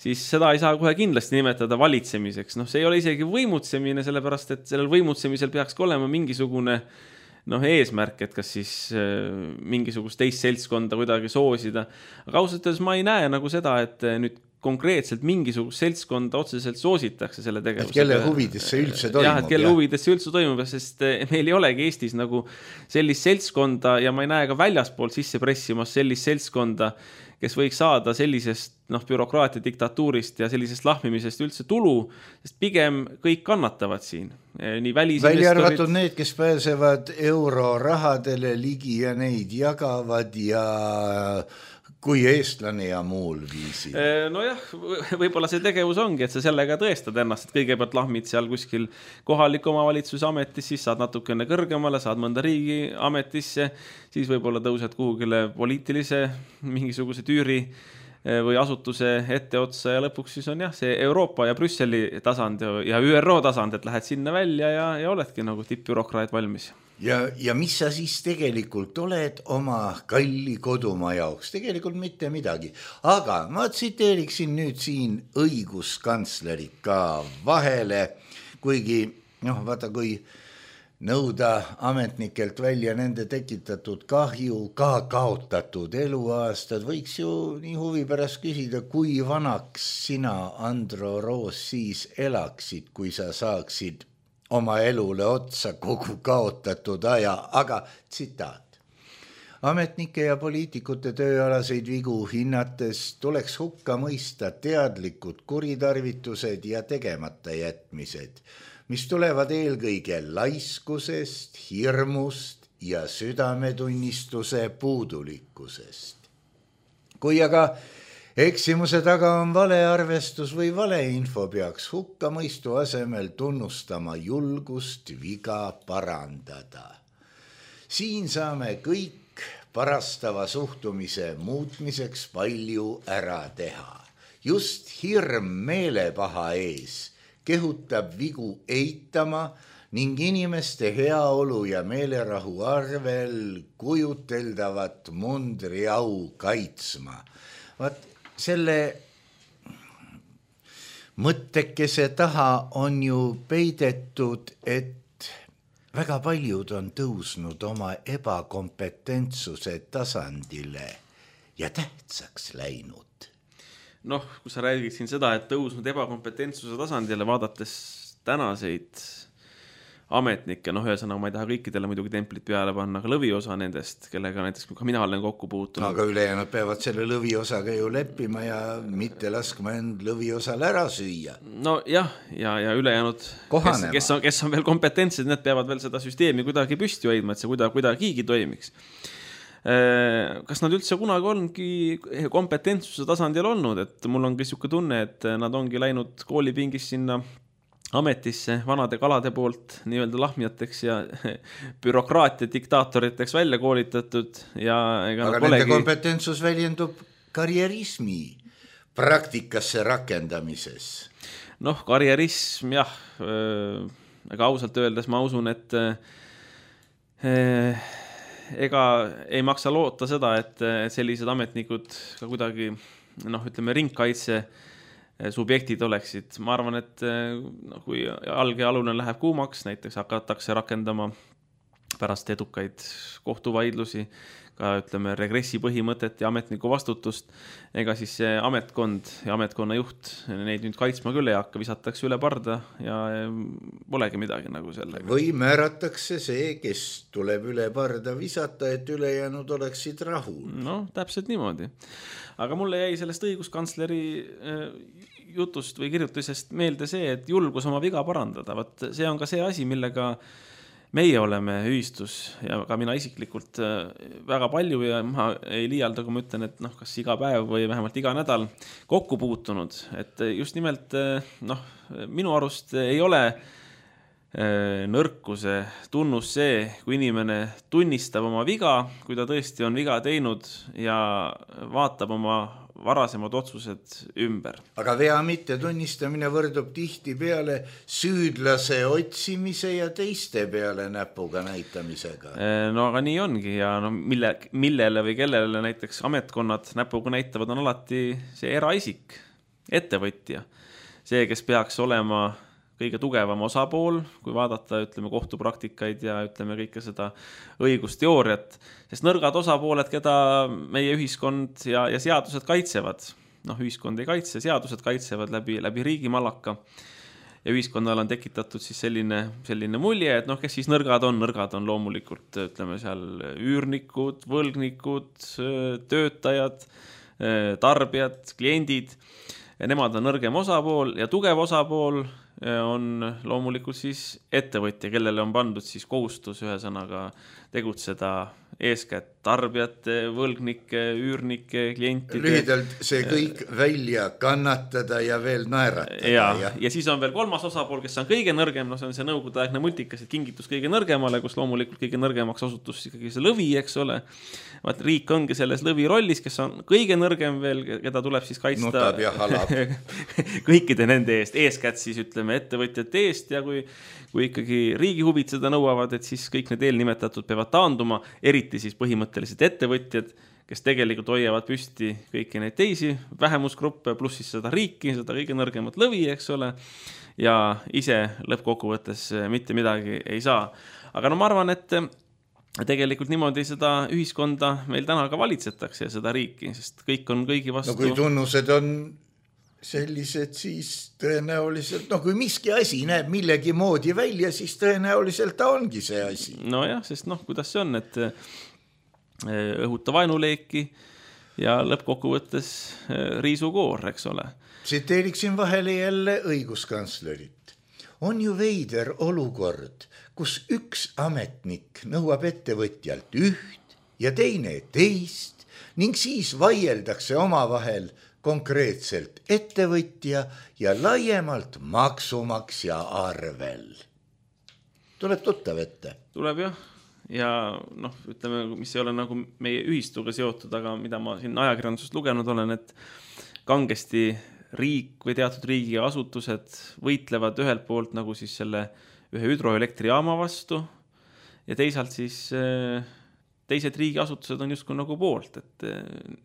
siis seda ei saa kohe kindlasti nimetada valitsemiseks. Noh, see ei ole isegi võimutsemine, sellepärast, et sellel võimutsemisel peaks olema mingisugune noh, eesmärk, et kas siis mingisugust teist seltskonda kuidagi soosida. Aga ausalt öeldes ma ei näe nagu seda, et nüüd konkreetselt mingisugust seltskonda otseselt soositakse selle tegevusega. Et kelle huvides see üldse toimub. Jah, et kelle huvides see üldse toimub, sest meil ei olegi Eestis nagu sellist seltskonda ja ma ei näe ka väljaspoolt sisse pressimas sellist seltskonda, kes võiks saada sellisest noh, bürokraatia diktatuurist ja sellisest lahmimisest üldse tulu, sest pigem kõik kannatavad siin. Nii välisinvestorid... Välja arvatud need, kes pääsevad eurorahadele ligi ja neid jagavad ja... kui eestlane ja muul viisi. No jah, võib-olla see tegevus ongi, et sa sellega tõestad ennast, et kõigepealt lahmid seal kuskil kohaliku omavalitsuse ametis, siis saad natukene kõrgemale, saad mõnda riigi ametisse, siis võib-olla tõused kuhugile poliitilise mingisuguse tüüri või asutuse etteotsa ja lõpuks siis on jah, see Euroopa ja Brüsseli tasand ja Ü R O tasand, et lähed sinna välja ja, ja oledki nagu tippbürokraat valmis. Ja, ja mis sa siis tegelikult oled oma kalli kodumaa jaoks? Tegelikult mitte midagi. Aga ma tsiteeriksin nüüd siin õiguskantslerit ka vahele, kuigi, noh, vaata, kui nõuda ametnikelt välja nende tekitatud kahju, ka kaotatud eluaastad, võiks ju nii huvi pärast küsida, kui vanaks sina, Andro Roos, siis elaksid, kui sa saaksid oma elule otsa kogu kaotatud aja, aga tsitaat. Ametnike ja poliitikute tööalaseid vigu hinnates tuleks hukka mõista teadlikud kuritarvitused ja tegemata jätmised, mis tulevad eelkõige laiskusest, hirmust ja südametunnistuse puudulikkusest. Kui aga eksimuse taga on valearvestus või valeinfo, peaks hukka mõistu asemel tunnustama julgust viga parandada. Siin saame kõik parastava suhtumise muutmiseks palju ära teha. Just hirm meelepaha ees kehutab vigu eitama ning inimeste heaolu ja meelerahu arvel kujuteldavat mundriau kaitsma. Vaat selle mõttekese taha on ju peidetud, et väga paljud on tõusnud oma ebakompetentsuse tasandile ja tähtsaks läinud. Noh, kui sa räägid siin seda, et tõusnud ebakompetentsuse tasandile, vaadates tänaseid ametnikke, noh ühesõnaga ma ei taha kõikidele muidugi templit peale panna, aga lõviosa nendest, kellega näiteks ka mina olen kokku puutunud. Aga ülejäänud peavad selle lõviosaga ju leppima ja mitte laskma end lõviosal ära süüa. No jah, ja, ja ülejäänud, kes, kes, on, kes on veel kompetentsed, need peavad veel seda süsteemi kuidagi püsti hoidma, et see kuidagi, kuidagigi toimiks. Kas nad üldse kunagi ongi kompetentsuse tasandil olnud, et mul on siuke tunne, et nad ongi läinud koolipingis sinna ametisse vanade kalade poolt nii-öelda lahmijateks ja bürokraatia diktaatoriteks välja koolitatud. Ja ega aga nende kompetentsus väljendub karjerismi praktikasse rakendamises. Noh, karjerism, jah, ega ausalt öeldes ma usun, et ega ei maksa loota seda, et sellised ametnikud ka kuidagi, noh, ütleme, ringkaitse subjektid oleksid. Ma arvan, et no, kui alge alune läheb kuumaks, näiteks hakatakse rakendama pärast edukaid kohtuvaidlusi, ka ütleme regressi põhimõtet ja ametniku vastutust, ega siis see ametkond ja ametkonna juht neid nüüd kaitsma küll ei hakka, visatakse üle parda ja polegi midagi nagu sellega. Või määratakse see, kes tuleb üle parda visata, et ülejäänud oleksid rahul. No, täpselt niimoodi. Aga mulle jäi sellest õiguskantsleri jutust või kirjutisest meelde see, et julgus oma viga parandada. Vaat see on ka see asi, millega meie oleme ühistus ja ka mina isiklikult väga palju ja ma ei liialda, kui ma ütlen, et noh, kas iga päev või vähemalt iga nädal kokku puutunud, et just nimelt noh, minu arust ei ole nõrkuse tunnus see, kui inimene tunnistab oma viga, kui ta tõesti on viga teinud ja vaatab oma varasemad otsused ümber. Aga vea mitte tunnistamine võrdub tihti peale süüdlase otsimise ja teiste peale näpuga näitamisega. No aga nii ongi ja no, mille, millele või kellele näiteks ametkonnad näpuga näitavad on alati see eraisik, ettevõtja. See, kes peaks olema kõige tugevam osapool, kui vaadata, ütleme, kohtupraktikaid ja ütleme kõike seda õigusteooriat, sest nõrgad osapooled, keda meie ühiskond ja, ja seadused kaitsevad, noh, ühiskond ei kaitse, seadused kaitsevad läbi, läbi riigimallaka ja ühiskonnal on tekitatud siis selline, selline mulje, et noh, kes siis nõrgad on, nõrgad on loomulikult, ütleme seal üürnikud, võlgnikud, töötajad, tarbijad, kliendid, ja nemad on nõrgem osapool ja tugev osapool on loomulikult siis ettevõtja, kellele on pandud siis kohustus ühesõnaga tegutseda eeskätt tarbijate, võlgnike, üürnike, klientide. Lühidalt see kõik ja, välja kannatada ja veel naeratada. Ja, ja. ja siis on veel kolmas osapool, kes on kõige nõrgem, no see on see nõukogudeaegne multikas, et kingitus kõige nõrgemale, kus loomulikult kõige nõrgemaks osutus ikkagi see lõvi, eks ole. Vaat riik ongi selles lõvi rollis, kes on kõige nõrgem veel, keda tuleb siis kaitsta Nutab ja halab. kõikide nende eest, eeskätt siis ütleme ettevõtjate eest ja kui, kui ikkagi riigi huvid seda nõuavad, et siis kõik need eelnimetatud peavad taanduma, eriti siis põhimõtteliselt ettevõtjad, kes tegelikult hoiavad püsti kõiki neid teisi vähemusgruppe, pluss siis seda riiki, seda kõige nõrgemat lõvi, eks ole, ja ise lõppkokkuvõttes mitte midagi ei saa. Aga no ma arvan, et tegelikult niimoodi seda ühiskonda meil täna ka valitsetakse ja seda riiki, sest kõik on kõigi vastu. No kui tunnused on sellised, siis tõenäoliselt, no kui miski asi näeb millegi moodi välja, siis tõenäoliselt ta ongi see asi. No jah, sest noh, kuidas see on, et õhuta vaenuleeki ja lõppkokkuvõttes riisukoor, eks ole. Tsiteeriksin vahele jälle õiguskantslerit. On ju veider olukord, kus üks ametnik nõuab ettevõtjalt üht ja teine teist ning siis vaieldakse omavahel konkreetselt ettevõtja ja laiemalt maksumaksja arvel. Tuleb tuttav ette. Tuleb jah. Ja noh, ütleme, mis ei ole nagu meie ühistuga seotud, aga mida ma siin ajakirjandusest lugenud olen, et kangesti riik või teatud riigi asutused võitlevad ühelt poolt nagu siis selle ühe hüdroelektrijaama vastu ja teisalt siis teised riigiasutused on justkui nagu poolt, et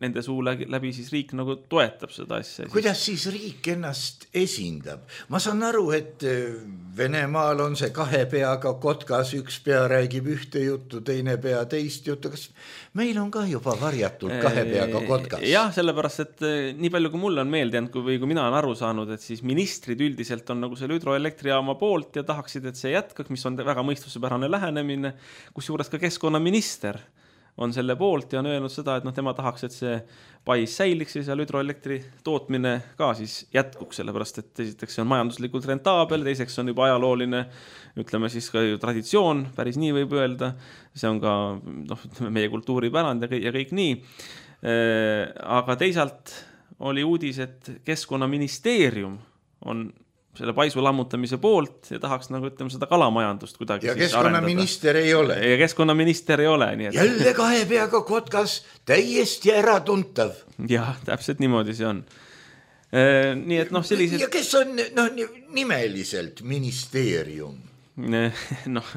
nende suu läbi siis riik nagu toetab seda asja. Kuidas siis riik ennast esindab? Ma saan aru, et Venemaal on see kahe peaga kotkas, üks pea räägib ühte juttu, teine pea teist juttu. Kas meil on ka juba varjatult kahe peaga kotkas? Jah, sellepärast, et nii palju kui mulle on meeldinud või kui mina olen aru saanud, et siis ministrid üldiselt on nagu selle hüdroelektrijaama poolt ja tahaksid, et see jätkaks, mis on väga mõistusepärane lähenemine, kus juures ka keskkonnaminister on selle poolt ja on öelnud seda, et noh, tema tahaks, et see pais säiliks ja seal hüdroelektri tootmine ka siis jätkuks, sellepärast, et esiteks see on majanduslikult rentaabel, teiseks on juba ajalooline, ütleme siis ka traditsioon, päris nii võib öelda, see on ka noh, meie kultuuripärand ja kõik, ja kõik nii. Aga teisalt oli uudis, et Keskkonnaministeerium on selle paisu lammutamise poolt ja tahaks nagu ütleme seda kalamajandust kuidagi ja keskkonnaminister ei ole. Ja keskkonnaminister ei ole. Nii et... Jälle kahe peaga kotkas täiesti äratuntav. Jah, täpselt niimoodi see on. Nii et noh, sellised... Ja kes on no, nimeliselt ministeerium? noh,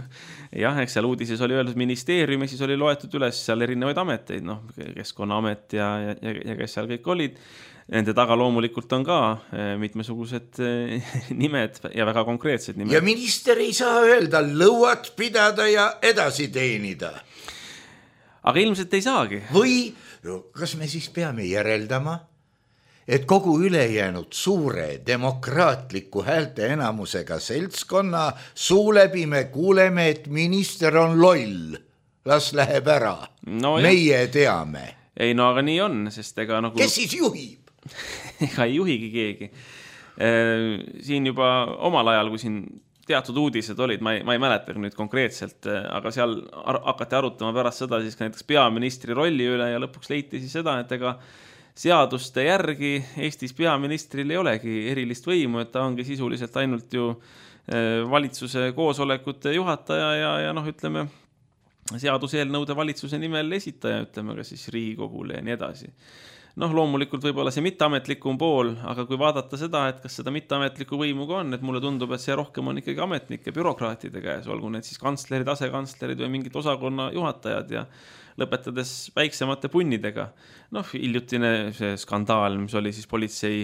jah, eks seal uudises oli öeldud ministeeriumi, siis oli loetud üles seal erinevaid ameteid, noh, Keskkonnaamet ja, ja, ja kes seal kõik olid. Nende taga loomulikult on ka mitmesugused nimed ja väga konkreetsed nimed. Ja minister ei saa öelda lõuat pidada ja edasi teenida. Aga ilmselt ei saagi. Või kas me siis peame järeldama, et kogu ülejäänud suure demokraatliku häälte enamusega seltskonna suu läbi me kuuleme, et minister on loll. Las läheb ära. No, meie teame. Ei, no aga nii on, sest ega nagu... Kes siis juhib? Ega ei juhigi keegi. Siin juba omal ajal, kui siin teatud uudised olid, ma ei, ma ei mäleta nüüd konkreetselt, aga seal hakati arutama pärast seda siis ka näiteks peaministri rolli üle ja lõpuks leiti siis seda, et ega seaduste järgi Eestis peaministril ei olegi erilist võimu, et ta ongi sisuliselt ainult ju valitsuse koosolekute juhataja ja, ja noh, ütleme, seaduseelnõude valitsuse nimel esitaja, ütleme ka siis Riigikogule ja nii edasi. Noh, loomulikult võib-olla see mitteametlikum pool, aga kui vaadata seda, et kas seda mitteametlikku võimu ka on, et mulle tundub, et see rohkem on ikkagi ametnike, bürokraatide käes, olgu need siis kantslerid, asekantslerid või mingid osakonna juhatajad ja lõpetades väiksemate punnidega. Noh, hiljutine see skandaal, mis oli siis politsei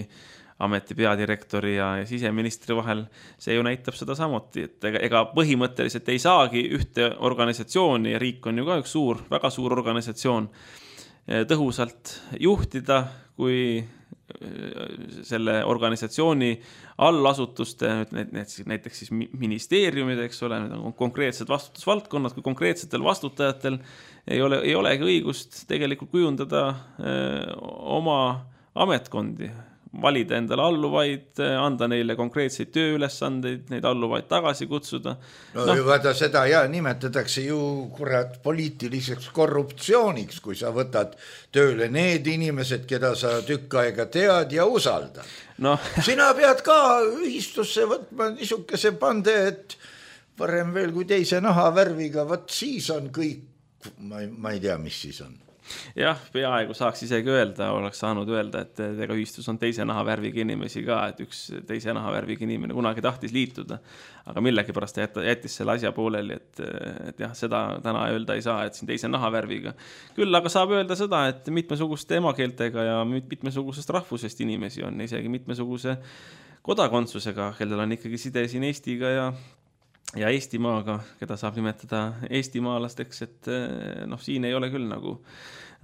ameti peadirektori ja siseministri vahel, see ju näitab seda samuti, et ega põhimõtteliselt ei saagi ühte organisatsiooni ja riik on ju ka üks suur, väga suur organisatsioon tõhusalt juhtida, kui selle organisatsiooni allasutuste, näiteks siis ministeeriumid, eks ole, need on konkreetsed vastutusvaldkonnad, kui konkreetsetel vastutajatel ei ole, ei olegi õigust tegelikult kujundada oma ametkondi, valida endale alluvaid, anda neile konkreetseid tööülesandeid, neid alluvaid tagasi kutsuda. No, no. Vaata seda ja nimetatakse ju kurat poliitiliseks korruptsiooniks, kui sa võtad tööle need inimesed, keda sa tükk aega tead ja usaldad. No. Sina pead ka ühistusse võtma niisuguse pande, et parem veel kui teise nahavärviga, võt siis on kõik, ma ei, ma ei tea, mis siis on. Jah, peaaegu saaks isegi öelda, oleks saanud öelda, et ega ühistus on teise nahavärviga inimesi ka, et üks teise nahavärviga inimene kunagi tahtis liituda, aga millegi pärast jättis selle asja pooleli, et, et jah, seda täna öelda ei saa, et siin teise nahavärviga. Küll aga saab öelda seda, et mitmesuguste emakeeltega ja mitmesugusest rahvusest inimesi on, isegi mitmesuguse kodakondsusega, kellel on ikkagi side siin Eestiga ja ja Eestimaaga, keda saab nimetada eestimaalasteks, et noh, siin ei ole küll nagu,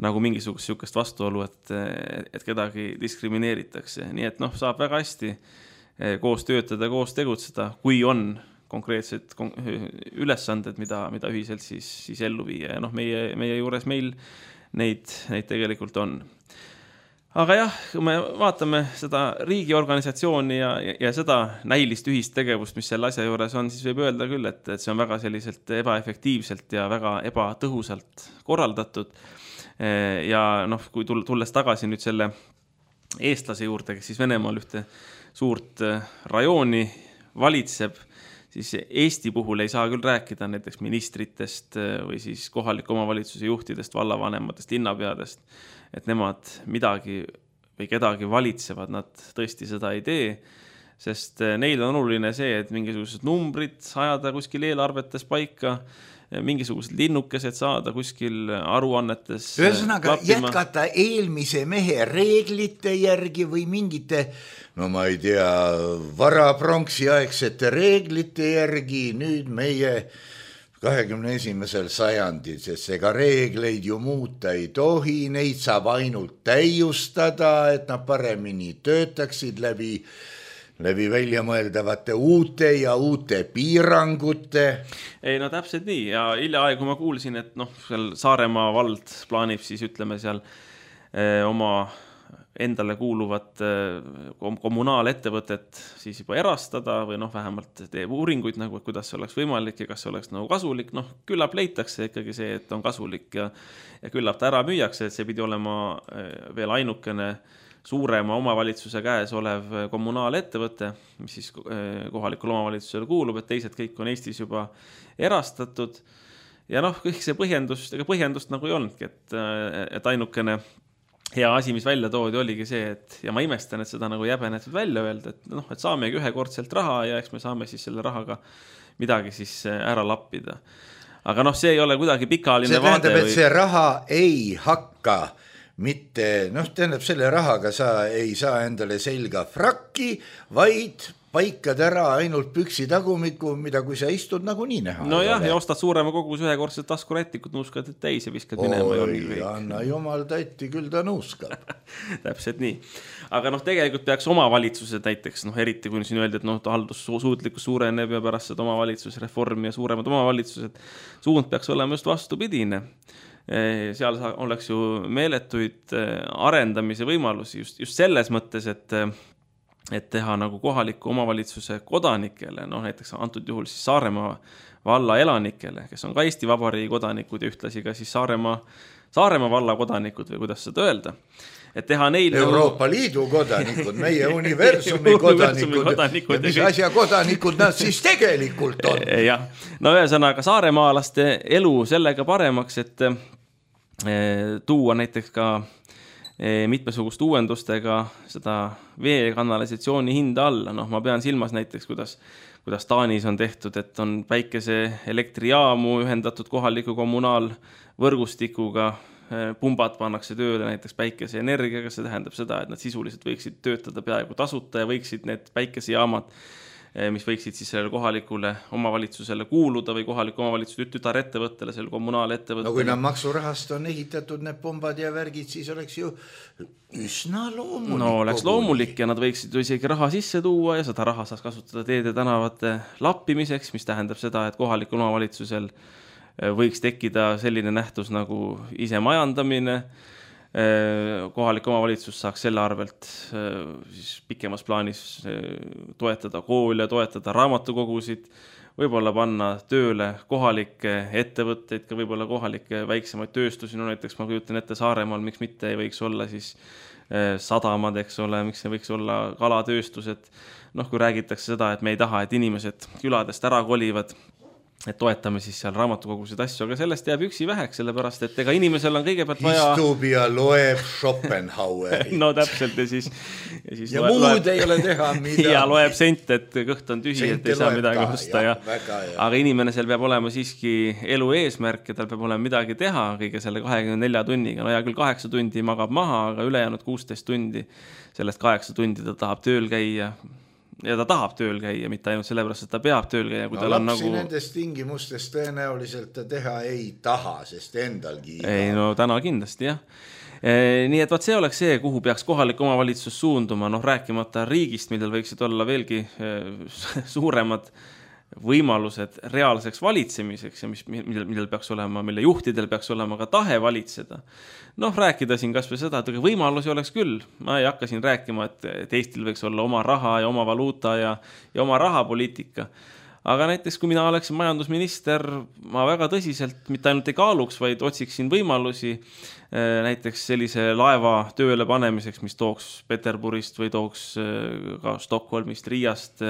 nagu mingisugust sükest vastuolu, et, et kedagi diskrimineeritakse. Nii et noh, saab väga hästi koos töötada, koos tegutseda, kui on konkreetsed ülesanded, mida, mida ühiselt siis, siis ellu viia. Ja noh, meie, meie juures meil neid, neid tegelikult on. Aga jah, kui me vaatame seda riigiorganisatsiooni ja, ja, ja seda näilist ühist tegevust, mis selle asja juures on, siis võib öelda küll, et, et see on väga selliselt ebaefektiivselt ja väga ebatõhusalt korraldatud. Ja noh, kui tulles tagasi nüüd selle eestlase juurde, kes siis Venemaal ühte suurt rajooni valitseb, siis Eesti puhul ei saa küll rääkida näiteks ministritest või siis kohaliku omavalitsuse juhtidest, vallavanematest, linnapeadest, et nemad midagi või kedagi valitsevad, nad tõesti seda ei tee, sest neil on oluline see, et mingisugused numbrid ajada kuskil eelarvetes paika, mingisugused linnukesed saada kuskil aruannetes. Ühesõnaga jätkata eelmise mehe reeglite järgi või mingite, no ma ei tea, varapronksiaegsete reeglite järgi nüüd meie kahekümne esimesel sajandil, sest ega reegleid ju muuta ei tohi, neid saab ainult täiustada, et nad paremini töötaksid läbi läbi väljamõeldavate uute ja uute piirangute. Ei, no täpselt nii ja hiljaaegu ma kuulsin, et noh, seal Saaremaa vald plaanib siis ütleme seal eh, oma endale kuuluvat eh, kommunaalettevõtet siis juba erastada või noh, vähemalt teeb uuringuid nagu, kuidas see oleks võimalik ja kas see oleks nagu kasulik. Noh, küllap leitakse ikkagi see, et on kasulik ja, ja küllap ta ära müüakse, et see pidi olema eh, veel ainukene suurema omavalitsuse käes olev kommunaalettevõte, mis siis kohalikul omavalitsusele kuulub, et teised kõik on Eestis juba erastatud. Ja noh, kõik see põhjendust, ega põhjendust nagu ei olnudki, et, et ainukene hea asi, mis välja toodi, oligi see, et ja ma imestan, et seda nagu jäbenetud välja öelda, et noh, et saamegi ühekordselt raha ja eks me saame siis selle rahaga midagi siis ära lappida. Aga noh, see ei ole kuidagi pikaajaline see tähendab, vaade. Et või... see raha ei hakka mitte, noh, tähendab, selle rahaga sa ei saa endale selga frakki, vaid paikad ära ainult püksi tagumiku, mida kui sa istud nagu nii näha. No jah, ja ostad suurema kogus ühekordselt taskurätikut, nuuskad täis ja viskad minema. Oi, anna jumal tatti, küll ta nuuskab. Täpselt nii. Aga noh, tegelikult peaks omavalitsused näiteks, noh, eriti kui siin öeldi, et noh, haldussuutlikkus suureneb ja pärast seda omavalitsusreformi ja suuremad omavalitsused, suund peaks olema just vastupidine. Seal oleks ju meeletuid arendamise võimalusi just, just selles mõttes, et et teha nagu kohaliku omavalitsuse kodanikele, noh näiteks antud juhul siis Saaremaa valla elanikele, kes on ka Eesti Vabariigi kodanikud ja ühtlasi ka siis Saaremaa, Saaremaa valla kodanikud või kuidas seda öelda. Et teha neil Euroopa nagu... Liidu kodanikud, meie universumi kodanikud, kodanikud ja mis asja kodanikud nad siis tegelikult on. Ja, no ühesõnaga saaremaalaste elu sellega paremaks, et tuua näiteks ka mitmesugust uuendustega seda vee kanalisatsiooni hinda alla. Noh, ma pean silmas näiteks, kuidas, kuidas Taanis on tehtud, et on päikese elektrijaamu ühendatud kohaliku kommunaalvõrgustikuga, pumbad pannakse tööle näiteks päikese energiaga, see tähendab seda, et nad sisuliselt võiksid töötada peaaegu tasuta ja võiksid need päikesejaamad, mis võiksid siis sellele kohalikule omavalitsusele kuuluda või kohaliku omavalitsuse tütarettevõttele, selle kommunaalettevõttele. No kui nad maksurahast on ehitatud need pumbad ja värgid, siis oleks ju üsna loomulik. No oleks loomulik ja nad võiksid ju isegi raha sisse tuua ja seda raha saaks kasutada teede tänavate lappimiseks, mis tähendab seda, et kohalikul omavalitsusel võiks tekkida selline nähtus nagu ise majandamine. Kohalik omavalitsus saaks selle arvelt siis pikemas plaanis toetada koole, toetada raamatukogusid, võib-olla panna tööle kohalikke ettevõtteid, ka võib-olla kohalikke väiksemaid tööstusi, no näiteks ma kujutan ette Saaremaal, miks mitte ei võiks olla siis sadamad, eks ole, miks ei võiks olla kalatööstused, noh kui räägitakse seda, et me ei taha, et inimesed küladest ära kolivad, et toetame siis seal raamatukogusid asju, aga sellest jääb üksi väheks, sellepärast, et ega inimesel on kõigepealt vaja... Istub ja loeb Schopenhaueri. No täpselt ja siis... Ja, siis ja loeb, muud loeb, ei ole teha midagi. Ja loeb sent, et kõht on tühi, sent et ei saa midagi osta. Ja, väga, ja. Aga inimesel peab olema siiski elu eesmärk ja tal peab olema midagi teha kõige selle kahekümne nelja tunniga. No ja küll kaheksa tundi magab maha, aga ülejäänud kuusteist tundi sellest kaheksa tundi ta tahab tööl käia. Ja ta tahab tööl käia, mitte ainult sellepärast, et ta peab tööl käia. Kui no tal lapsi on nagu... nendes tingimustes tõenäoliselt ta teha ei taha, sest endalgi iga. Ei, no täna kindlasti, jah. E, nii et vaat see oleks see, kuhu peaks kohalik omavalitsus suunduma, noh rääkimata riigist, millel võiksid olla veelgi e, suuremad võimalused reaalseks valitsemiseks ja mis, millel, millel peaks olema, mille juhtidel peaks olema ka tahe valitseda. Noh, rääkida siin kas või seda, et võimalusi oleks küll. Ma ei hakka siin rääkima, et, et Eestil võiks olla oma raha ja oma valuuta ja, ja oma rahapoliitika. Aga näiteks, kui mina oleksin majandusminister, ma väga tõsiselt mitte ainult ei kaaluks, vaid otsiksin võimalusi näiteks sellise laeva tööle panemiseks, mis tooks Peterburist või tooks ka Stockholmist, Riiast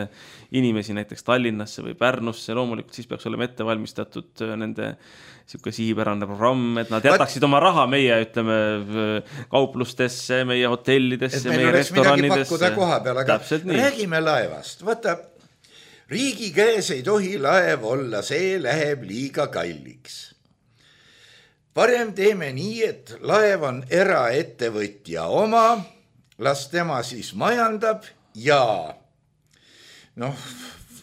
inimesi näiteks Tallinnasse või Pärnusse. Loomulikult siis peaks olema ette valmistatud nende siuke sihipärane programm, et nad jätaksid oma raha meie, ütleme, kauplustesse, meie hotellidesse, meie restoranidesse. Täpselt nii. Räägime laevast. Vaata, riigi käes ei tohi laev olla, see läheb liiga kalliks. Parem teeme nii, et laev on eraettevõtja oma, las tema siis majandab ja noh,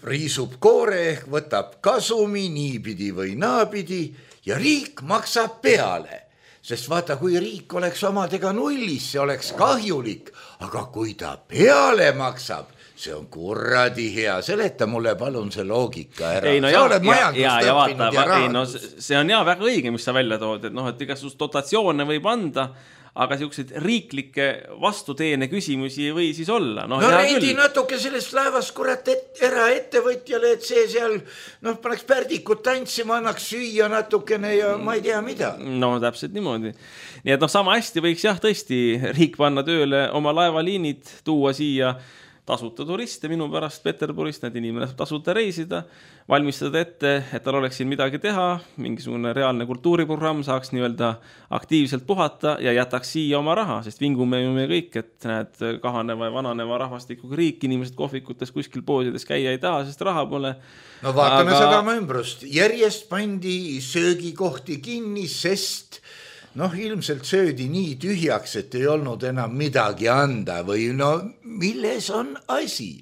riisub koore ehk võtab kasumi niipidi või naapidi ja riik maksab peale. Sest vaata, kui riik oleks omadega nullis, see oleks kahjulik, aga kui ta peale maksab, see on kuradi hea. Seleta mulle palun see loogika ära. Ei, no sa ja, oled majandust ja, ja, õppinud ja, ja ei, no, see on jah väga õige, mis sa välja tood, et noh, et igasugust dotatsioone võib anda, aga siukseid riiklikke vastuteene küsimusi või siis olla. No, no reidi natuke sellest laevast kurat et, eraettevõtjale, et see seal noh, paneks pärdikut tantsima, annaks süüa natukene ja ma ei tea mida. No täpselt niimoodi. Nii et noh, sama hästi võiks jah tõesti riik panna tööle oma laevaliinid, tuua siia tasuta turiste minu pärast Peterburist, need inimene saab tasuta reisida, valmistada ette, et tal oleks siin midagi teha, mingisugune reaalne kultuuriprogramm, saaks nii-öelda aktiivselt puhata ja jätaks siia oma raha, sest vingume ju me kõik, et näed kahaneva ja vananeva rahvastikuga riik, inimesed kohvikutes kuskil poodides käia ei taha, sest raha pole. No vaatame aga... seda ümbrust. Järjest pandi söögikohti kinni, sest noh, ilmselt söödi nii tühjaks, et ei olnud enam midagi anda või no milles on asi?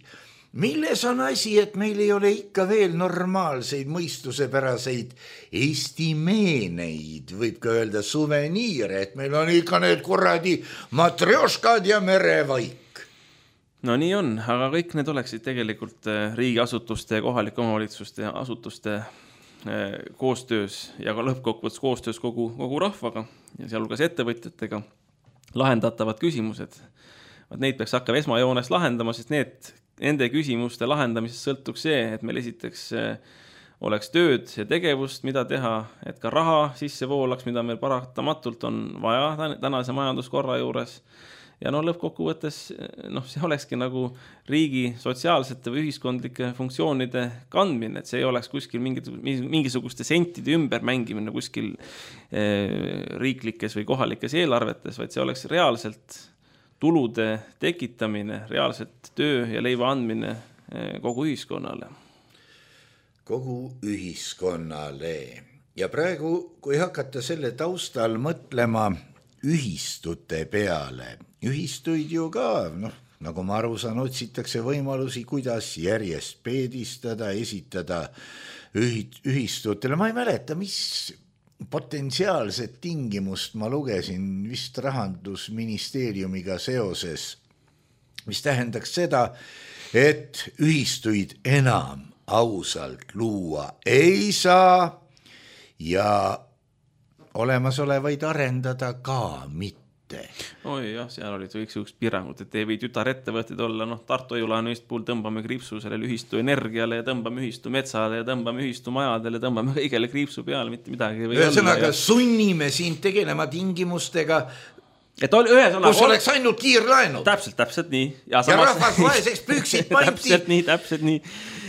Milles on asi, et meil ei ole ikka veel normaalseid mõistusepäraseid Eesti meeneid, võib ka öelda suveniire, et meil on ikka need kuradi matrjoškad ja merevaik. No nii on, aga kõik need oleksid tegelikult riigiasutuste ja kohalike omavalitsuste ja asutuste koostöös ja ka lõppkokkuvõttes koostöös kogu, kogu rahvaga ja sealhulgas ettevõtjatega lahendatavad küsimused. Neid peaks hakkama esmajoones lahendama, sest need, nende küsimuste lahendamisest sõltuks see, et meil esiteks oleks tööd ja tegevust, mida teha, et ka raha sisse voolaks, mida meil paratamatult on vaja tänase majanduskorra juures. Ja no lõppkokkuvõttes noh, see olekski nagu riigi sotsiaalsete või ühiskondlike funktsioonide kandmine, et see ei oleks kuskil mingisuguste sentide ümber mängimine kuskil riiklikes või kohalikes eelarvetes, vaid see oleks reaalselt tulude tekitamine, reaalselt töö ja leiva andmine kogu ühiskonnale. Kogu ühiskonnale. Ja praegu, kui hakata selle taustal mõtlema ühistute peale, ühistuid ju ka, noh, nagu ma aru saan, otsitakse võimalusi, kuidas järjest peedistada, esitada ühistutele. Ma ei mäleta, mis potentsiaalset tingimust ma lugesin vist Rahandusministeeriumiga seoses, mis tähendaks seda, et ühistuid enam ausalt luua ei saa ja olemasolevaid arendada ka mitte. Oi jah, seal olid kõiksugused piirangud, et ei või tütarettevõtted olla, noh Tartu Ojulaenu puhul tõmbame kriipsu sellele ühistu energiale ja tõmbame ühistu metsale ja tõmbame ühistu majadele, tõmbame kõigele kriipsu peale, mitte midagi või ühesõnaga ja... sunnime siin tegelema tingimustega, et oli, ühesõnaga, kus oleks ainult kiirlaenud. Täpselt, täpselt nii. Ja, samas... ja rahvas vaeseks püksid painti. Täpselt nii, täpselt nii.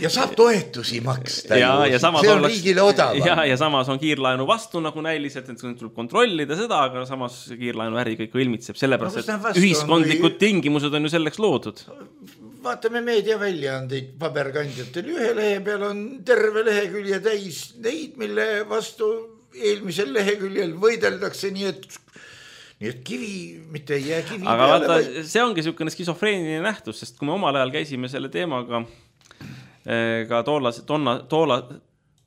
Ja saab toetusi maksta. Ja, ja see on oleks... riigile odavam. Ja, ja samas on kiirlaenu vastu nagu näiliselt, et tuleb kontrollida seda, aga samas kiirlaenu äri kõik ilmitseb. Sellepärast, no, et ühiskondlikud või... tingimused on ju selleks loodud. Vaatame meediaväljaandeid paberkandjatel. Ühe lehe peal on terve lehekülje täis neid, mille vastu eelmisel leheküljel võideldakse, nii et nii et kivi, mitte ei jää kivi aga peale. Aga vaata, see ongi niisugune skisofreeniline nähtus, sest kui me omal ajal käisime selle teemaga ka toolase, tonna, toola,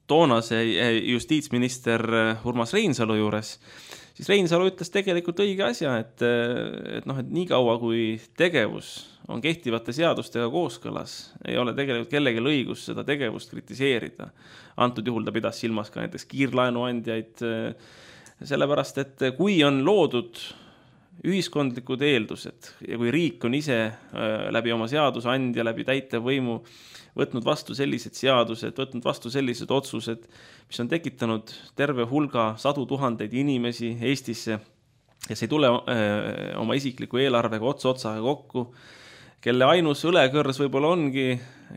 toonase justiitsminister Urmas Reinsalu juures, siis Reinsalu ütles tegelikult õige asja, et, et, noh, et nii kaua kui tegevus on kehtivate seadustega kooskõlas, ei ole tegelikult kellelgi õigus seda tegevust kritiseerida. Antud juhul ta pidas silmas ka näiteks kiirlaenuandjaid, sellepärast, et kui on loodud ühiskondlikud eeldused ja kui riik on ise läbi oma seadusandja, läbi täitevvõimu võtnud vastu sellised seadused, võtnud vastu sellised otsused, mis on tekitanud terve hulga sadu tuhandeid inimesi Eestisse ja see ei tule oma isikliku eelarvega otsa otsaga kokku, kelle ainus õlekõrs võib-olla ongi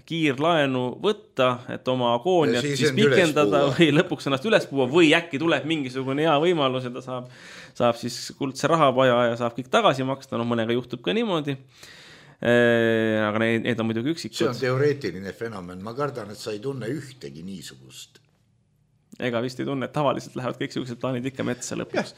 kiirlaenu võtta, et oma agooniat siis pikendada või lõpuks ennast üles puua või äkki tuleb mingisugune hea võimalus ja ta saab, saab siis kuldse rahapaja ja saab kõik tagasi maksta, no mõnega juhtub ka niimoodi. Aga need, need on muidugi üksikud. See on teoreetiline fenomen, ma kardan, et sa ei tunne ühtegi niisugust. Ega vist ei tunne, et tavaliselt lähevad kõik sellised plaanid ikka metsa lõpuks.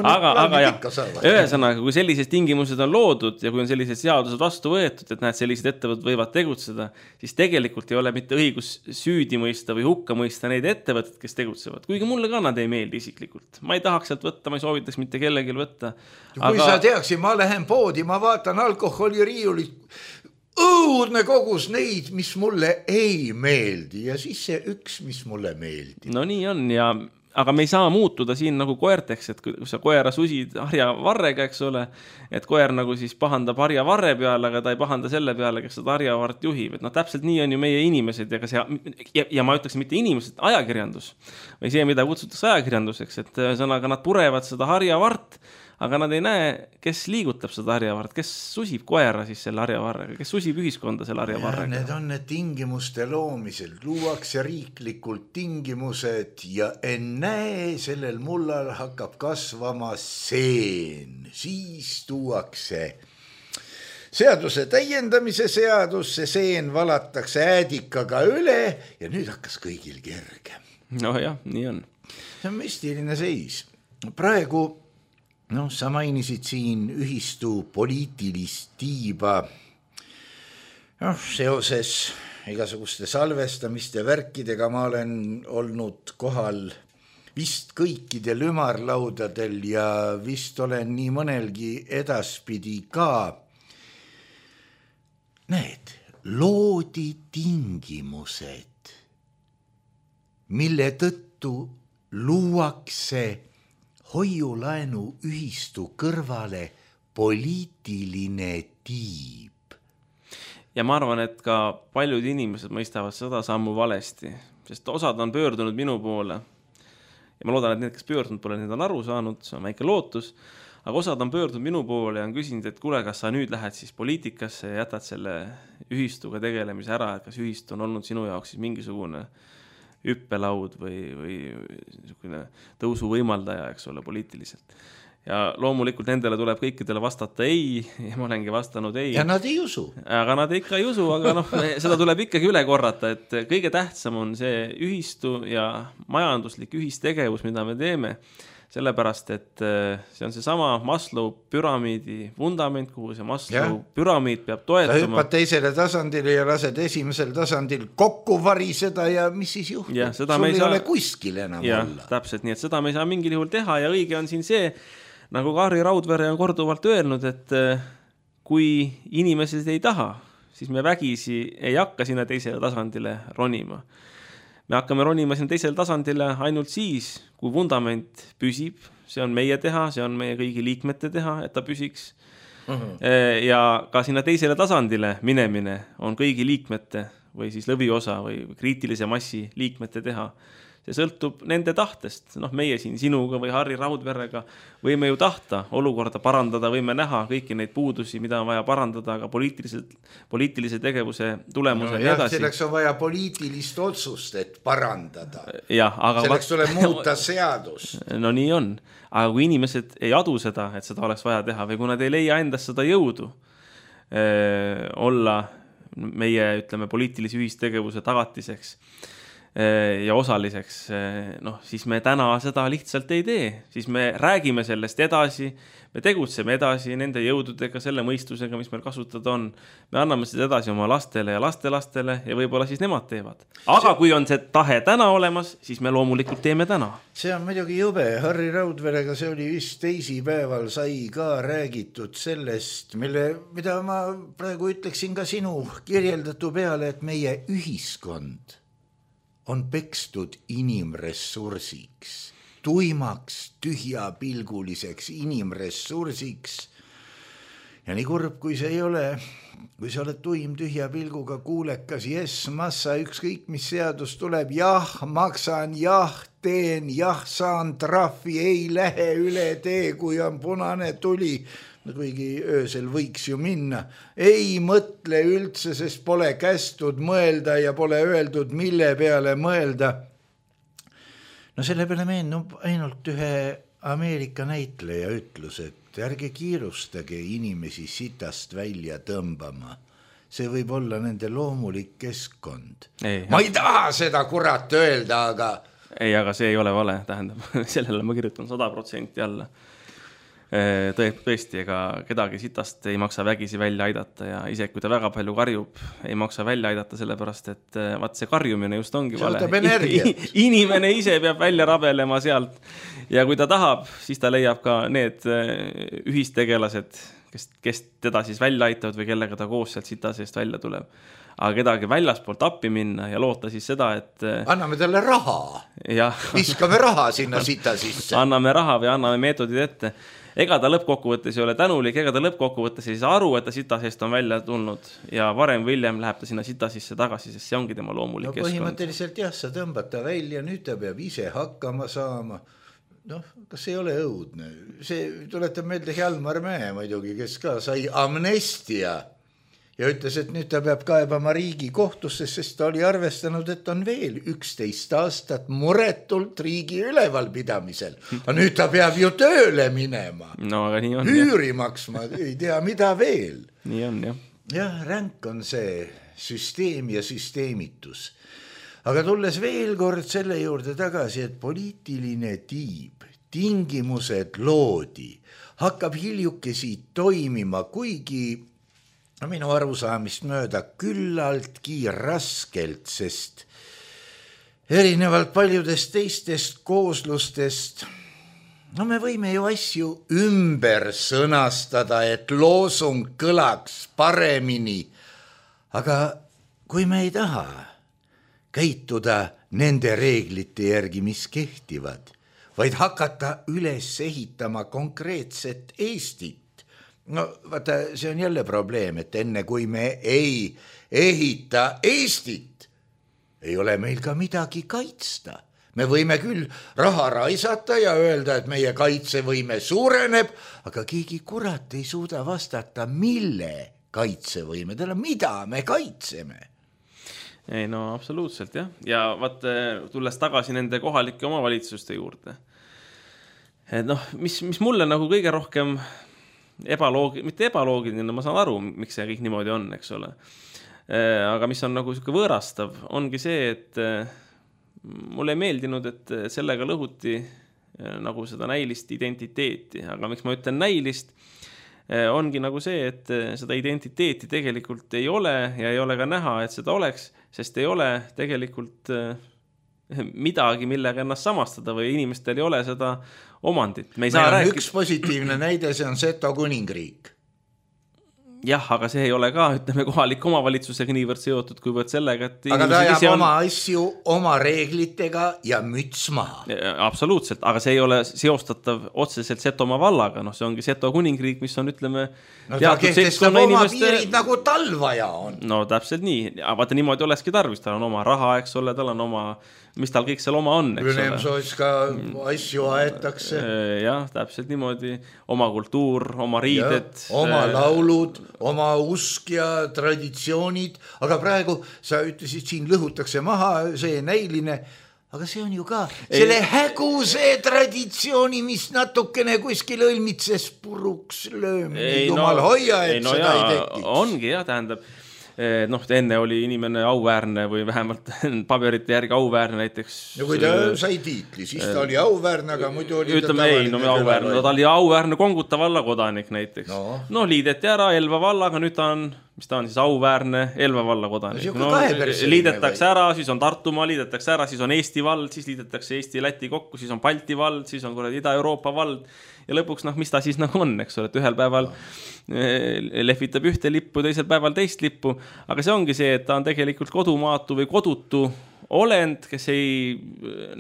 aga, aga jah, ühesõnaga, kui sellised tingimused on loodud ja kui on sellised seadused vastu võetud, et näed, sellised ettevõtted võivad tegutseda, siis tegelikult ei ole mitte õigus süüdi mõista või hukka mõista neid ettevõtted, kes tegutsevad. Kuigi mulle ka nad ei meeldi isiklikult. Ma ei tahaks sealt võtta, ma ei soovitaks mitte kellelgi võtta. Kui aga... sa teaksid, ma lähen poodi, ma vaatan alkoholiriiulit, õudne kogus neid, mis mulle ei meeldi ja siis see üks, mis mulle meeldi. No nii on, ja, aga me ei saa muutuda siin nagu koerteks, et kui sa koera susid harja varrega, eks ole, et koer nagu siis pahandab harja varre peale, aga ta ei pahanda selle peale, kes seda harja vart juhib. Et no täpselt nii on ju meie inimesed ja, see, ja, ja ma ütleks mitte inimesed, ajakirjandus või see, mida kutsutakse ajakirjanduseks, et sõnaga nad purevad seda harja vart, aga nad ei näe, kes liigutab seda harjavarret, kes susib koera siis selle harjavarrega, kes susib ühiskonda selle harjavarrega. Need on need tingimuste loomisel, luuakse riiklikult tingimused ja ennäe sellel mullal hakkab kasvama seen, siis tuuakse seaduse täiendamise seadus, see seen valatakse äädikaga üle ja nüüd hakkas kõigil kerge. No jah, nii on. See on müstiline seis. Praegu, noh, sa mainisid siin ühistu poliitilist tiiba, noh, seoses igasuguste salvestamiste värkidega ma olen olnud kohal vist kõikidel ümarlaudadel ja vist olen nii mõnelgi edaspidi ka. Need loodi tingimused, mille tõttu luuakse hoiulaenu ühistu kõrvale poliitiline tiib. Ja ma arvan, et ka paljud inimesed mõistavad seda sammu valesti, sest osad on pöördunud minu poole ja ma loodan, et need, kes pöördunud pole, need on aru saanud, see on väike lootus, aga osad on pöördunud minu poole ja on küsinud, et kuule, kas sa nüüd lähed siis poliitikasse ja jätad selle ühistuga tegelemise ära, et kas ühistu on olnud sinu jaoks siis mingisugune hüppelaud või, või niisugune tõusu võimaldaja, eks ole, poliitiliselt. Ja loomulikult nendele tuleb kõikidele vastata ei, ja ma olengi vastanud ei. Ja nad ei usu. Aga nad ikka ei usu, aga noh, seda tuleb ikkagi üle korrata, et kõige tähtsam on see ühistu ja majanduslik ühistegevus, mida me teeme, sellepärast, et see on see sama Maslow püramiidi vundament, kuhu see Maslow ja. Püramiid peab toetuma. Sa hüppad teisele tasandile ja lased esimesel tasandil kokku variseda ja mis siis juhtub? Ja, sul ei saa... ole kuskil enam ja, olla. Täpselt, nii et seda me ei saa mingil juhul teha ja õige on siin see, nagu Harri Raudvere on korduvalt öelnud, et kui inimesed ei taha, siis me vägisi ei hakka sinna teisele tasandile ronima. Me hakkame ronima siin teisele tasandile ainult siis, kui vundament püsib, see on meie teha, see on meie kõigi liikmete teha, et ta püsiks. Uh-huh. Ja ka sinna teisele tasandile minemine on kõigi liikmete või siis lõviosa või kriitilise massi liikmete teha. See sõltub nende tahtest. Noh, meie siin sinuga või Harri Raudverega võime ju tahta olukorda parandada, võime näha kõiki neid puudusi, mida on vaja parandada, aga poliitilise tegevuse tulemuse no, jah, edasi. Selleks on vaja poliitilist otsust, et parandada. Ja, aga selleks tuleb muuta seadus. No nii on. Aga kui inimesed ei adu seda, et seda oleks vaja teha või kui nad ei leia endast seda jõudu eh, olla meie, ütleme, poliitilise ühistegevuse tagatiseks, ja osaliseks, noh, siis me täna seda lihtsalt ei tee, siis me räägime sellest edasi, me tegutseme edasi nende jõududega, selle mõistusega, mis meil kasutada on, me anname seda edasi oma lastele ja lastelastele ja võib-olla siis nemad teevad. Aga see... kui on see tahe täna olemas, siis me loomulikult teeme täna. See on muidugi jube, Harri Raudverega see oli vist teisipäeval sai ka räägitud sellest, mille, mida ma praegu ütleksin ka sinu kirjeldatu peale, et meie ühiskond on pekstud inimressursiks, tuimaks, tühjapilguliseks inimressursiks. Ja nii kurb, kui see ei ole, kui sa oled tuim tühja pilguga kuulekas, jes, massa, ükskõik mis seadus tuleb, jah, maksan, jah, teen, jah, saan trahvi, ei lähe üle tee, kui on punane tuli, kuigi öösel võiks ju minna. Ei mõtle üldse, sest pole kästud mõelda ja pole öeldud, mille peale mõelda. No selle peale meenub ainult ühe Ameerika näitleja ütlus, et ärge kiirustage inimesi sitast välja tõmbama. See võib olla nende loomulik keskkond. Ei, ma ei taha seda kurat öelda, aga... Ei, aga see ei ole vale, tähendab. Sellele ma kirjutan sada protsenti alla. Tõesti, ega kedagi sitast ei maksa vägisi välja aidata ja ise kui ta väga palju karjub, ei maksa välja aidata sellepärast, et vaat see karjumine just ongi vale. Inimene ise peab välja rabelema sealt ja kui ta tahab, siis ta leiab ka need ühistegelased, kes, kes teda siis välja aitavad või kellega ta koos sealt sita seest välja tuleb. Aga kedagi väljaspoolt appi minna ja loota siis seda, et... Anname talle raha. Ja. Viskame raha sinna sita sisse. Anname raha või anname meetodid ette. Ega ta lõppkokkuvõttes ei ole tänulik, ega ta lõppkokkuvõttes ei saa aru, et ta sita seest on välja tulnud ja varem või hiljem läheb ta sinna sita sisse tagasi, sest see ongi tema loomulik no, keskkond. Põhimõtteliselt jah, sa tõmbad ta välja, nüüd ta peab ise hakkama saama. noh, kas ei ole õudne? See tuletab meelde Hjalmar Mäe muidugi, kes ka sai amnestia ja ütles, et nüüd ta peab kaebama riigi kohtusse, sest ta oli arvestanud, et on veel üksteist aastat muretult riigi ülevalpidamisel. Aga nüüd ta peab ju tööle minema. No aga nii on. Hüüri maksma, ei tea mida veel. Nii on, jah. Jah, ränk on see süsteem ja süsteemitus. Aga tulles veel kord selle juurde tagasi, et poliitiline tiib, tingimused loodi, hakkab hiljukesi toimima, kuigi minu arusaamist mööda küllaltki raskelt, sest erinevalt paljudest teistest kooslustest, no me võime ju asju ümber sõnastada, et loosung kõlaks paremini, aga kui me ei taha käituda nende reeglite järgi, mis kehtivad, vaid hakata üles ehitama konkreetset Eestit, no vaata, see on jälle probleem, et enne kui me ei ehita Eestit, ei ole meil ka midagi kaitsta. Me võime küll raha raisata ja öelda, et meie kaitsevõime suureneb, aga keegi kurat ei suuda vastata, mille kaitsevõimedele, mida me kaitseme. Ei no absoluutselt jah. Ja vaat tulles tagasi nende kohalike omavalitsuste juurde. Et noh, mis, mis mulle nagu kõige rohkem ebaloogiline, mitte ebaloogiline, ma saan aru, miks see kõik niimoodi on, eks ole. Aga mis on nagu selline võõrastav, ongi see, et mulle ei meeldinud, et sellega lõhuti nagu seda näilist identiteeti, aga miks ma ütlen näilist, ongi nagu see, et seda identiteeti tegelikult ei ole ja ei ole ka näha, et seda oleks, sest ei ole tegelikult midagi, millega ennast samastada või inimestel ei ole seda omandit. Me ei saa rääkida. Üks positiivne näide, see on Seto kuningriik. Jah, aga see ei ole ka, ütleme, kohalik omavalitsusega niivõrd seotud, kuivõrd sellega, et aga ta jääb on... oma asju oma reeglitega ja müts maha. Absoluutselt, aga see ei ole seostatav otseselt Setomaa vallaga, noh, see ongi Seto kuningriik, mis on, ütleme, no ta kehtestab oma inimeste... piirid nagu talvaja on. No täpselt nii, aga vaata niimoodi olekski tarvis, tal on oma raha, eks ole, tal on oma, mis tal kõik seal oma on, eks ole. Ülemsoos ka asju aetakse. Jah, täpselt niimoodi, oma kultuur, oma riided. Ja, oma laulud, oma usk ja traditsioonid, aga praegu sa ütlesid, siin lõhutakse maha see näiline, aga see on ju ka selle ei, häguse traditsiooni, mis natukene kuskil õlmitses puruks löömine, jumal no, hoia, et ei, no seda jaa, ei tekiks. Ongi jah, tähendab, noh, enne oli inimene auväärne või vähemalt paberite järgi auväärne näiteks. Ja kui ta sai tiitli, siis ta oli auväärne, aga muidu oli ütleme, ta ei, no auväärne, no, ta oli auväärne Konguta valla kodanik näiteks. No, no liideti ära Elva valla, aga nüüd ta on, mis ta on siis auväärne Elva valla kodanik. No, liidetakse ära, siis on Tartumaa, liidetakse ära, siis on Eesti vald, siis liidetakse Eesti-Läti kokku, siis on Balti vald, siis on kuradi Ida-Euroopa vald ja lõpuks, noh, mis ta siis nagu on, eks ole, et ühel päeval lehvitab ühte lippu, teisel päeval teist lippu, aga see ongi see, et ta on tegelikult kodumaatu või kodutu olend, kes ei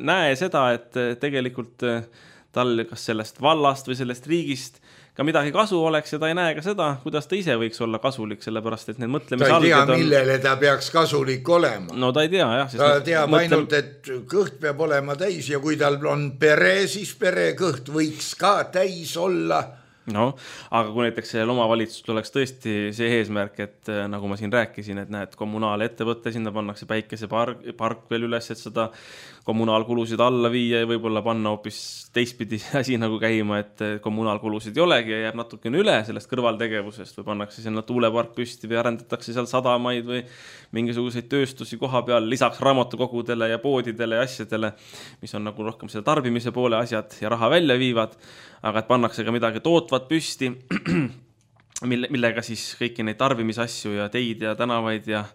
näe seda, et tegelikult tal kas sellest vallast või sellest riigist ka midagi kasu oleks ja ta ei näe ka seda, kuidas ta ise võiks olla kasulik, sellepärast, et need mõtlemisalged on... Ta ei tea, millele ta peaks kasulik olema. No ta ei tea, jah. Ta teab mõtlem... ainult, et kõht peab olema täis ja kui tal on pere, siis pere kõht võiks ka täis olla. No, aga kui näiteks sellel omavalitsusel oleks tõesti see eesmärk, et nagu ma siin rääkisin, et näed, kommunaalettevõtte, sinna pannakse päikesepark park veel üles, et seda kommunaalkulusid alla viia ja võib-olla panna hoopis teistpidi asi nagu käima, et kommunaalkulusid ei olegi ja jääb natukene üle sellest kõrvaltegevusest või pannakse sinna tuulepark püsti või arendatakse seal sadamaid või mingisuguseid tööstusi koha peal lisaks raamatukogudele ja poodidele ja asjadele, mis on nagu rohkem selle tarbimise poole asjad ja raha välja viivad, aga et pannakse ka midagi tootvat püsti, mille, millega siis kõiki neid tarbimisasju ja teid ja tänavaid ja,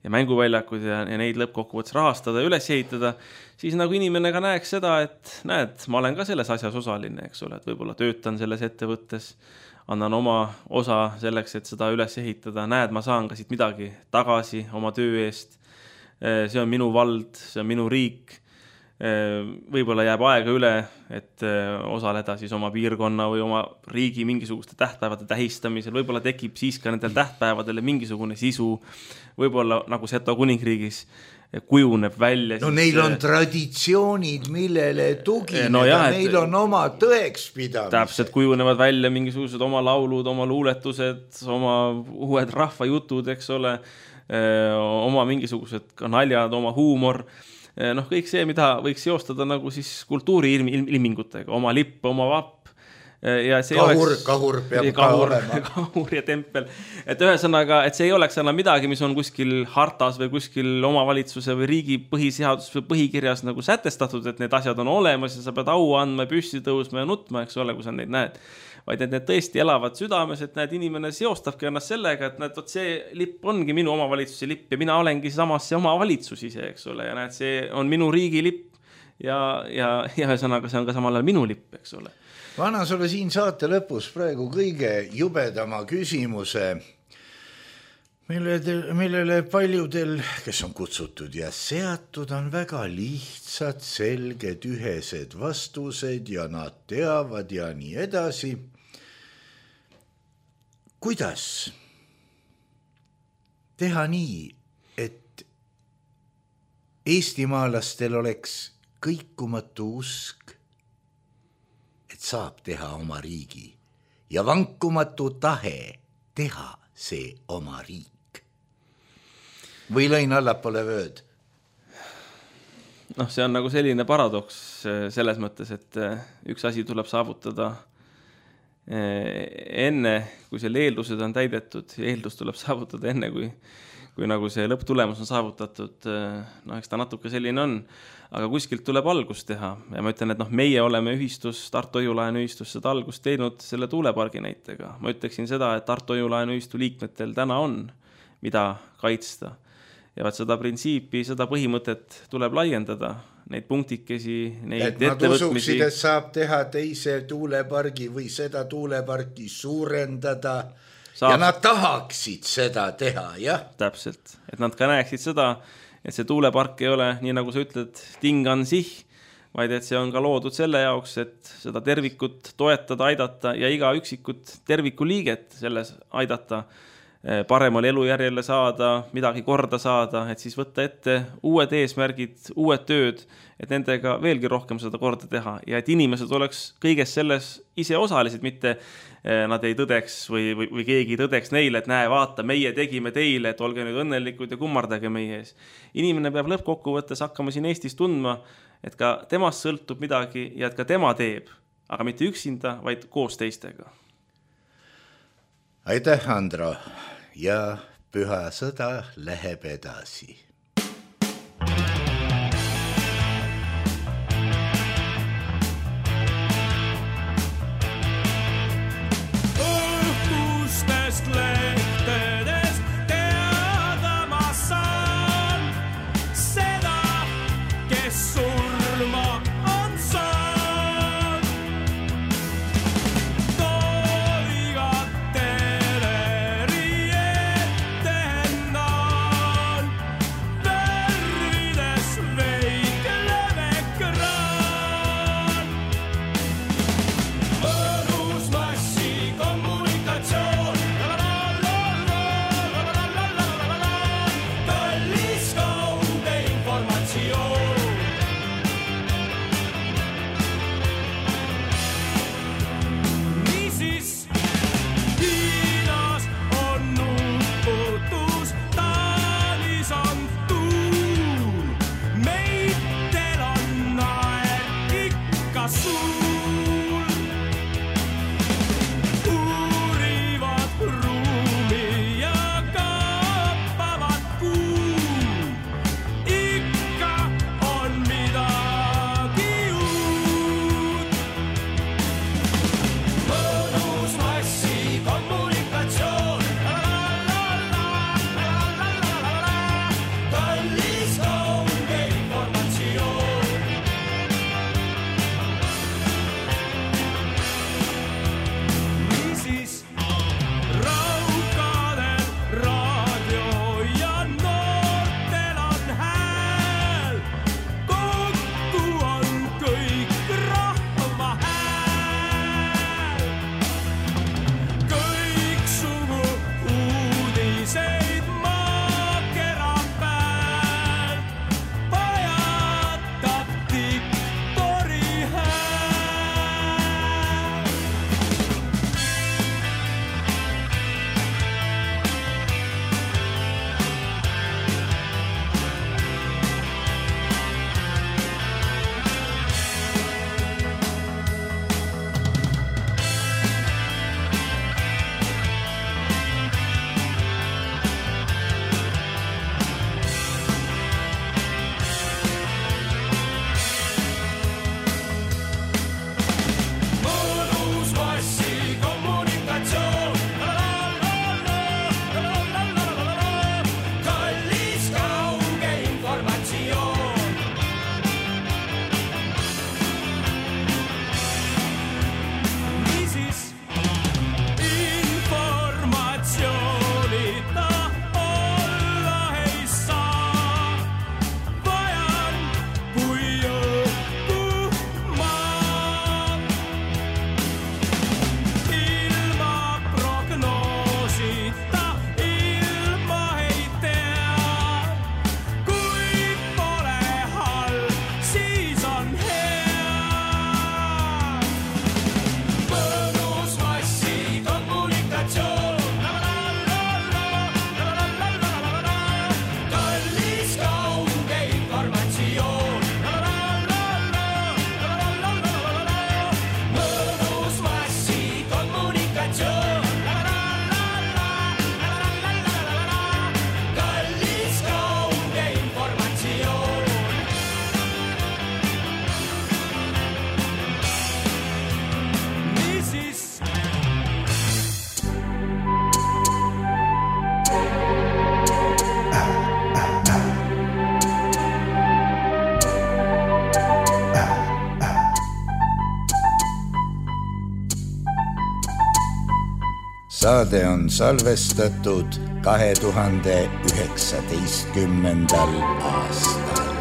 ja mänguväljakud ja, ja neid lõppkokkuvõttes rahastada ja üles ehitada, siis nagu inimene ka näeks seda, et näed, ma olen ka selles asjas osaline, eks ole, et võib-olla töötan selles ettevõttes, annan oma osa selleks, et seda üles ehitada, näed, ma saan ka siit midagi tagasi oma töö eest, see on minu vald, see on minu riik, võib-olla jääb aega üle, et osaleda siis oma piirkonna või oma riigi mingisuguste tähtpäevade tähistamisel, võib-olla tekib siis ka nendel tähtpäevadele mingisugune sisu, võib-olla nagu Seto kuningriigis kujuneb välja. No siis, neil on traditsioonid, millele tugineda, no jah, et, neil on oma tõekspidamised. Täpselt kujunevad välja mingisugused oma laulud, oma luuletused, oma uued rahvajutud, eks ole, oma mingisugused ka naljad, oma huumor. Noh, kõik see, mida võiks seostada nagu siis kultuuri ilmingutega, oma lipp, oma vapp. Ja see kahur, oleks, kahur peab kahur, ka olema. Kahur ja tempel. Et ühesõnaga, et see ei oleks enam midagi, mis on kuskil hartas või kuskil omavalitsuse või riigi põhiseadus või põhikirjas nagu sätestatud, et need asjad on olemas ja sa pead au andma, püssi tõusma ja nutma, eks ole, kui sa neid näed. Vaid et need tõesti elavad südames, et näed, inimene seostabki ennast sellega, et näed, see lipp ongi minu omavalitsuse lipp ja mina olengi samas see omavalitsus ise, eks ole, ja näed, see on minu riigi lipp ja, ja, ja ühesõnaga see on ka samal ajal minu lipp, eks ole. Ma annan sulle siin saate lõpus praegu kõige jubedama küsimuse, millele, millele paljudel, kes on kutsutud ja seatud, on väga lihtsad, selged, ühesed vastused ja nad teavad ja nii edasi. Kuidas teha nii, et eestimaalastel oleks kõikumatu usk, saab teha oma riigi ja vankumatu tahe teha see oma riik. Või lõin allapoole vööd? Noh, see on nagu selline paradoks selles mõttes, et üks asi tuleb saavutada enne, kui selle eeldused on täidetud ja eeldus tuleb saavutada enne, kui, kui nagu see lõpptulemus on saavutatud. No, eks ta natuke selline on. Aga kuskilt tuleb algust teha ja ma ütlen, et noh, meie oleme ühistus, Tartu Hoiulaenu ühistus seda algust teinud selle tuulepargi näitega. Ma ütleksin seda, et Tartu Hoiulaenu ühistu liikmetel täna on, mida kaitsta. Ja vaat seda printsiipi, seda põhimõtet tuleb laiendada, neid punktikesi, neid et nad ettevõtmisi. Usuksid, et saab teha teise tuulepargi või seda tuuleparki suurendada saab. Ja nad tahaksid seda teha, jah? Täpselt, et nad ka näeksid seda, et see tuulepark ei ole, nii nagu sa ütled, tingan sih, vaid et see on ka loodud selle jaoks, et seda tervikut toetada, aidata ja iga üksikut terviku liiget selles aidata, paremal elujärjele saada, midagi korda saada, et siis võtta ette uued eesmärgid, uued tööd, et nendega veelgi rohkem seda korda teha ja et inimesed oleks kõiges selles ise osalised, mitte nad ei tõdeks või, või, või keegi tõdeks neile, et näe, vaata, meie tegime teile, et olge nüüd õnnelikud ja kummardage meie ees. Inimene peab lõppkokkuvõttes hakkama siin Eestis tundma, et ka temast sõltub midagi ja et ka tema teeb, aga mitte üksinda, vaid koos teistega. Aitäh, Andro, ja püha sõda läheb edasi. Saade on salvestatud kahe tuhande üheksateistkümnendal aastal.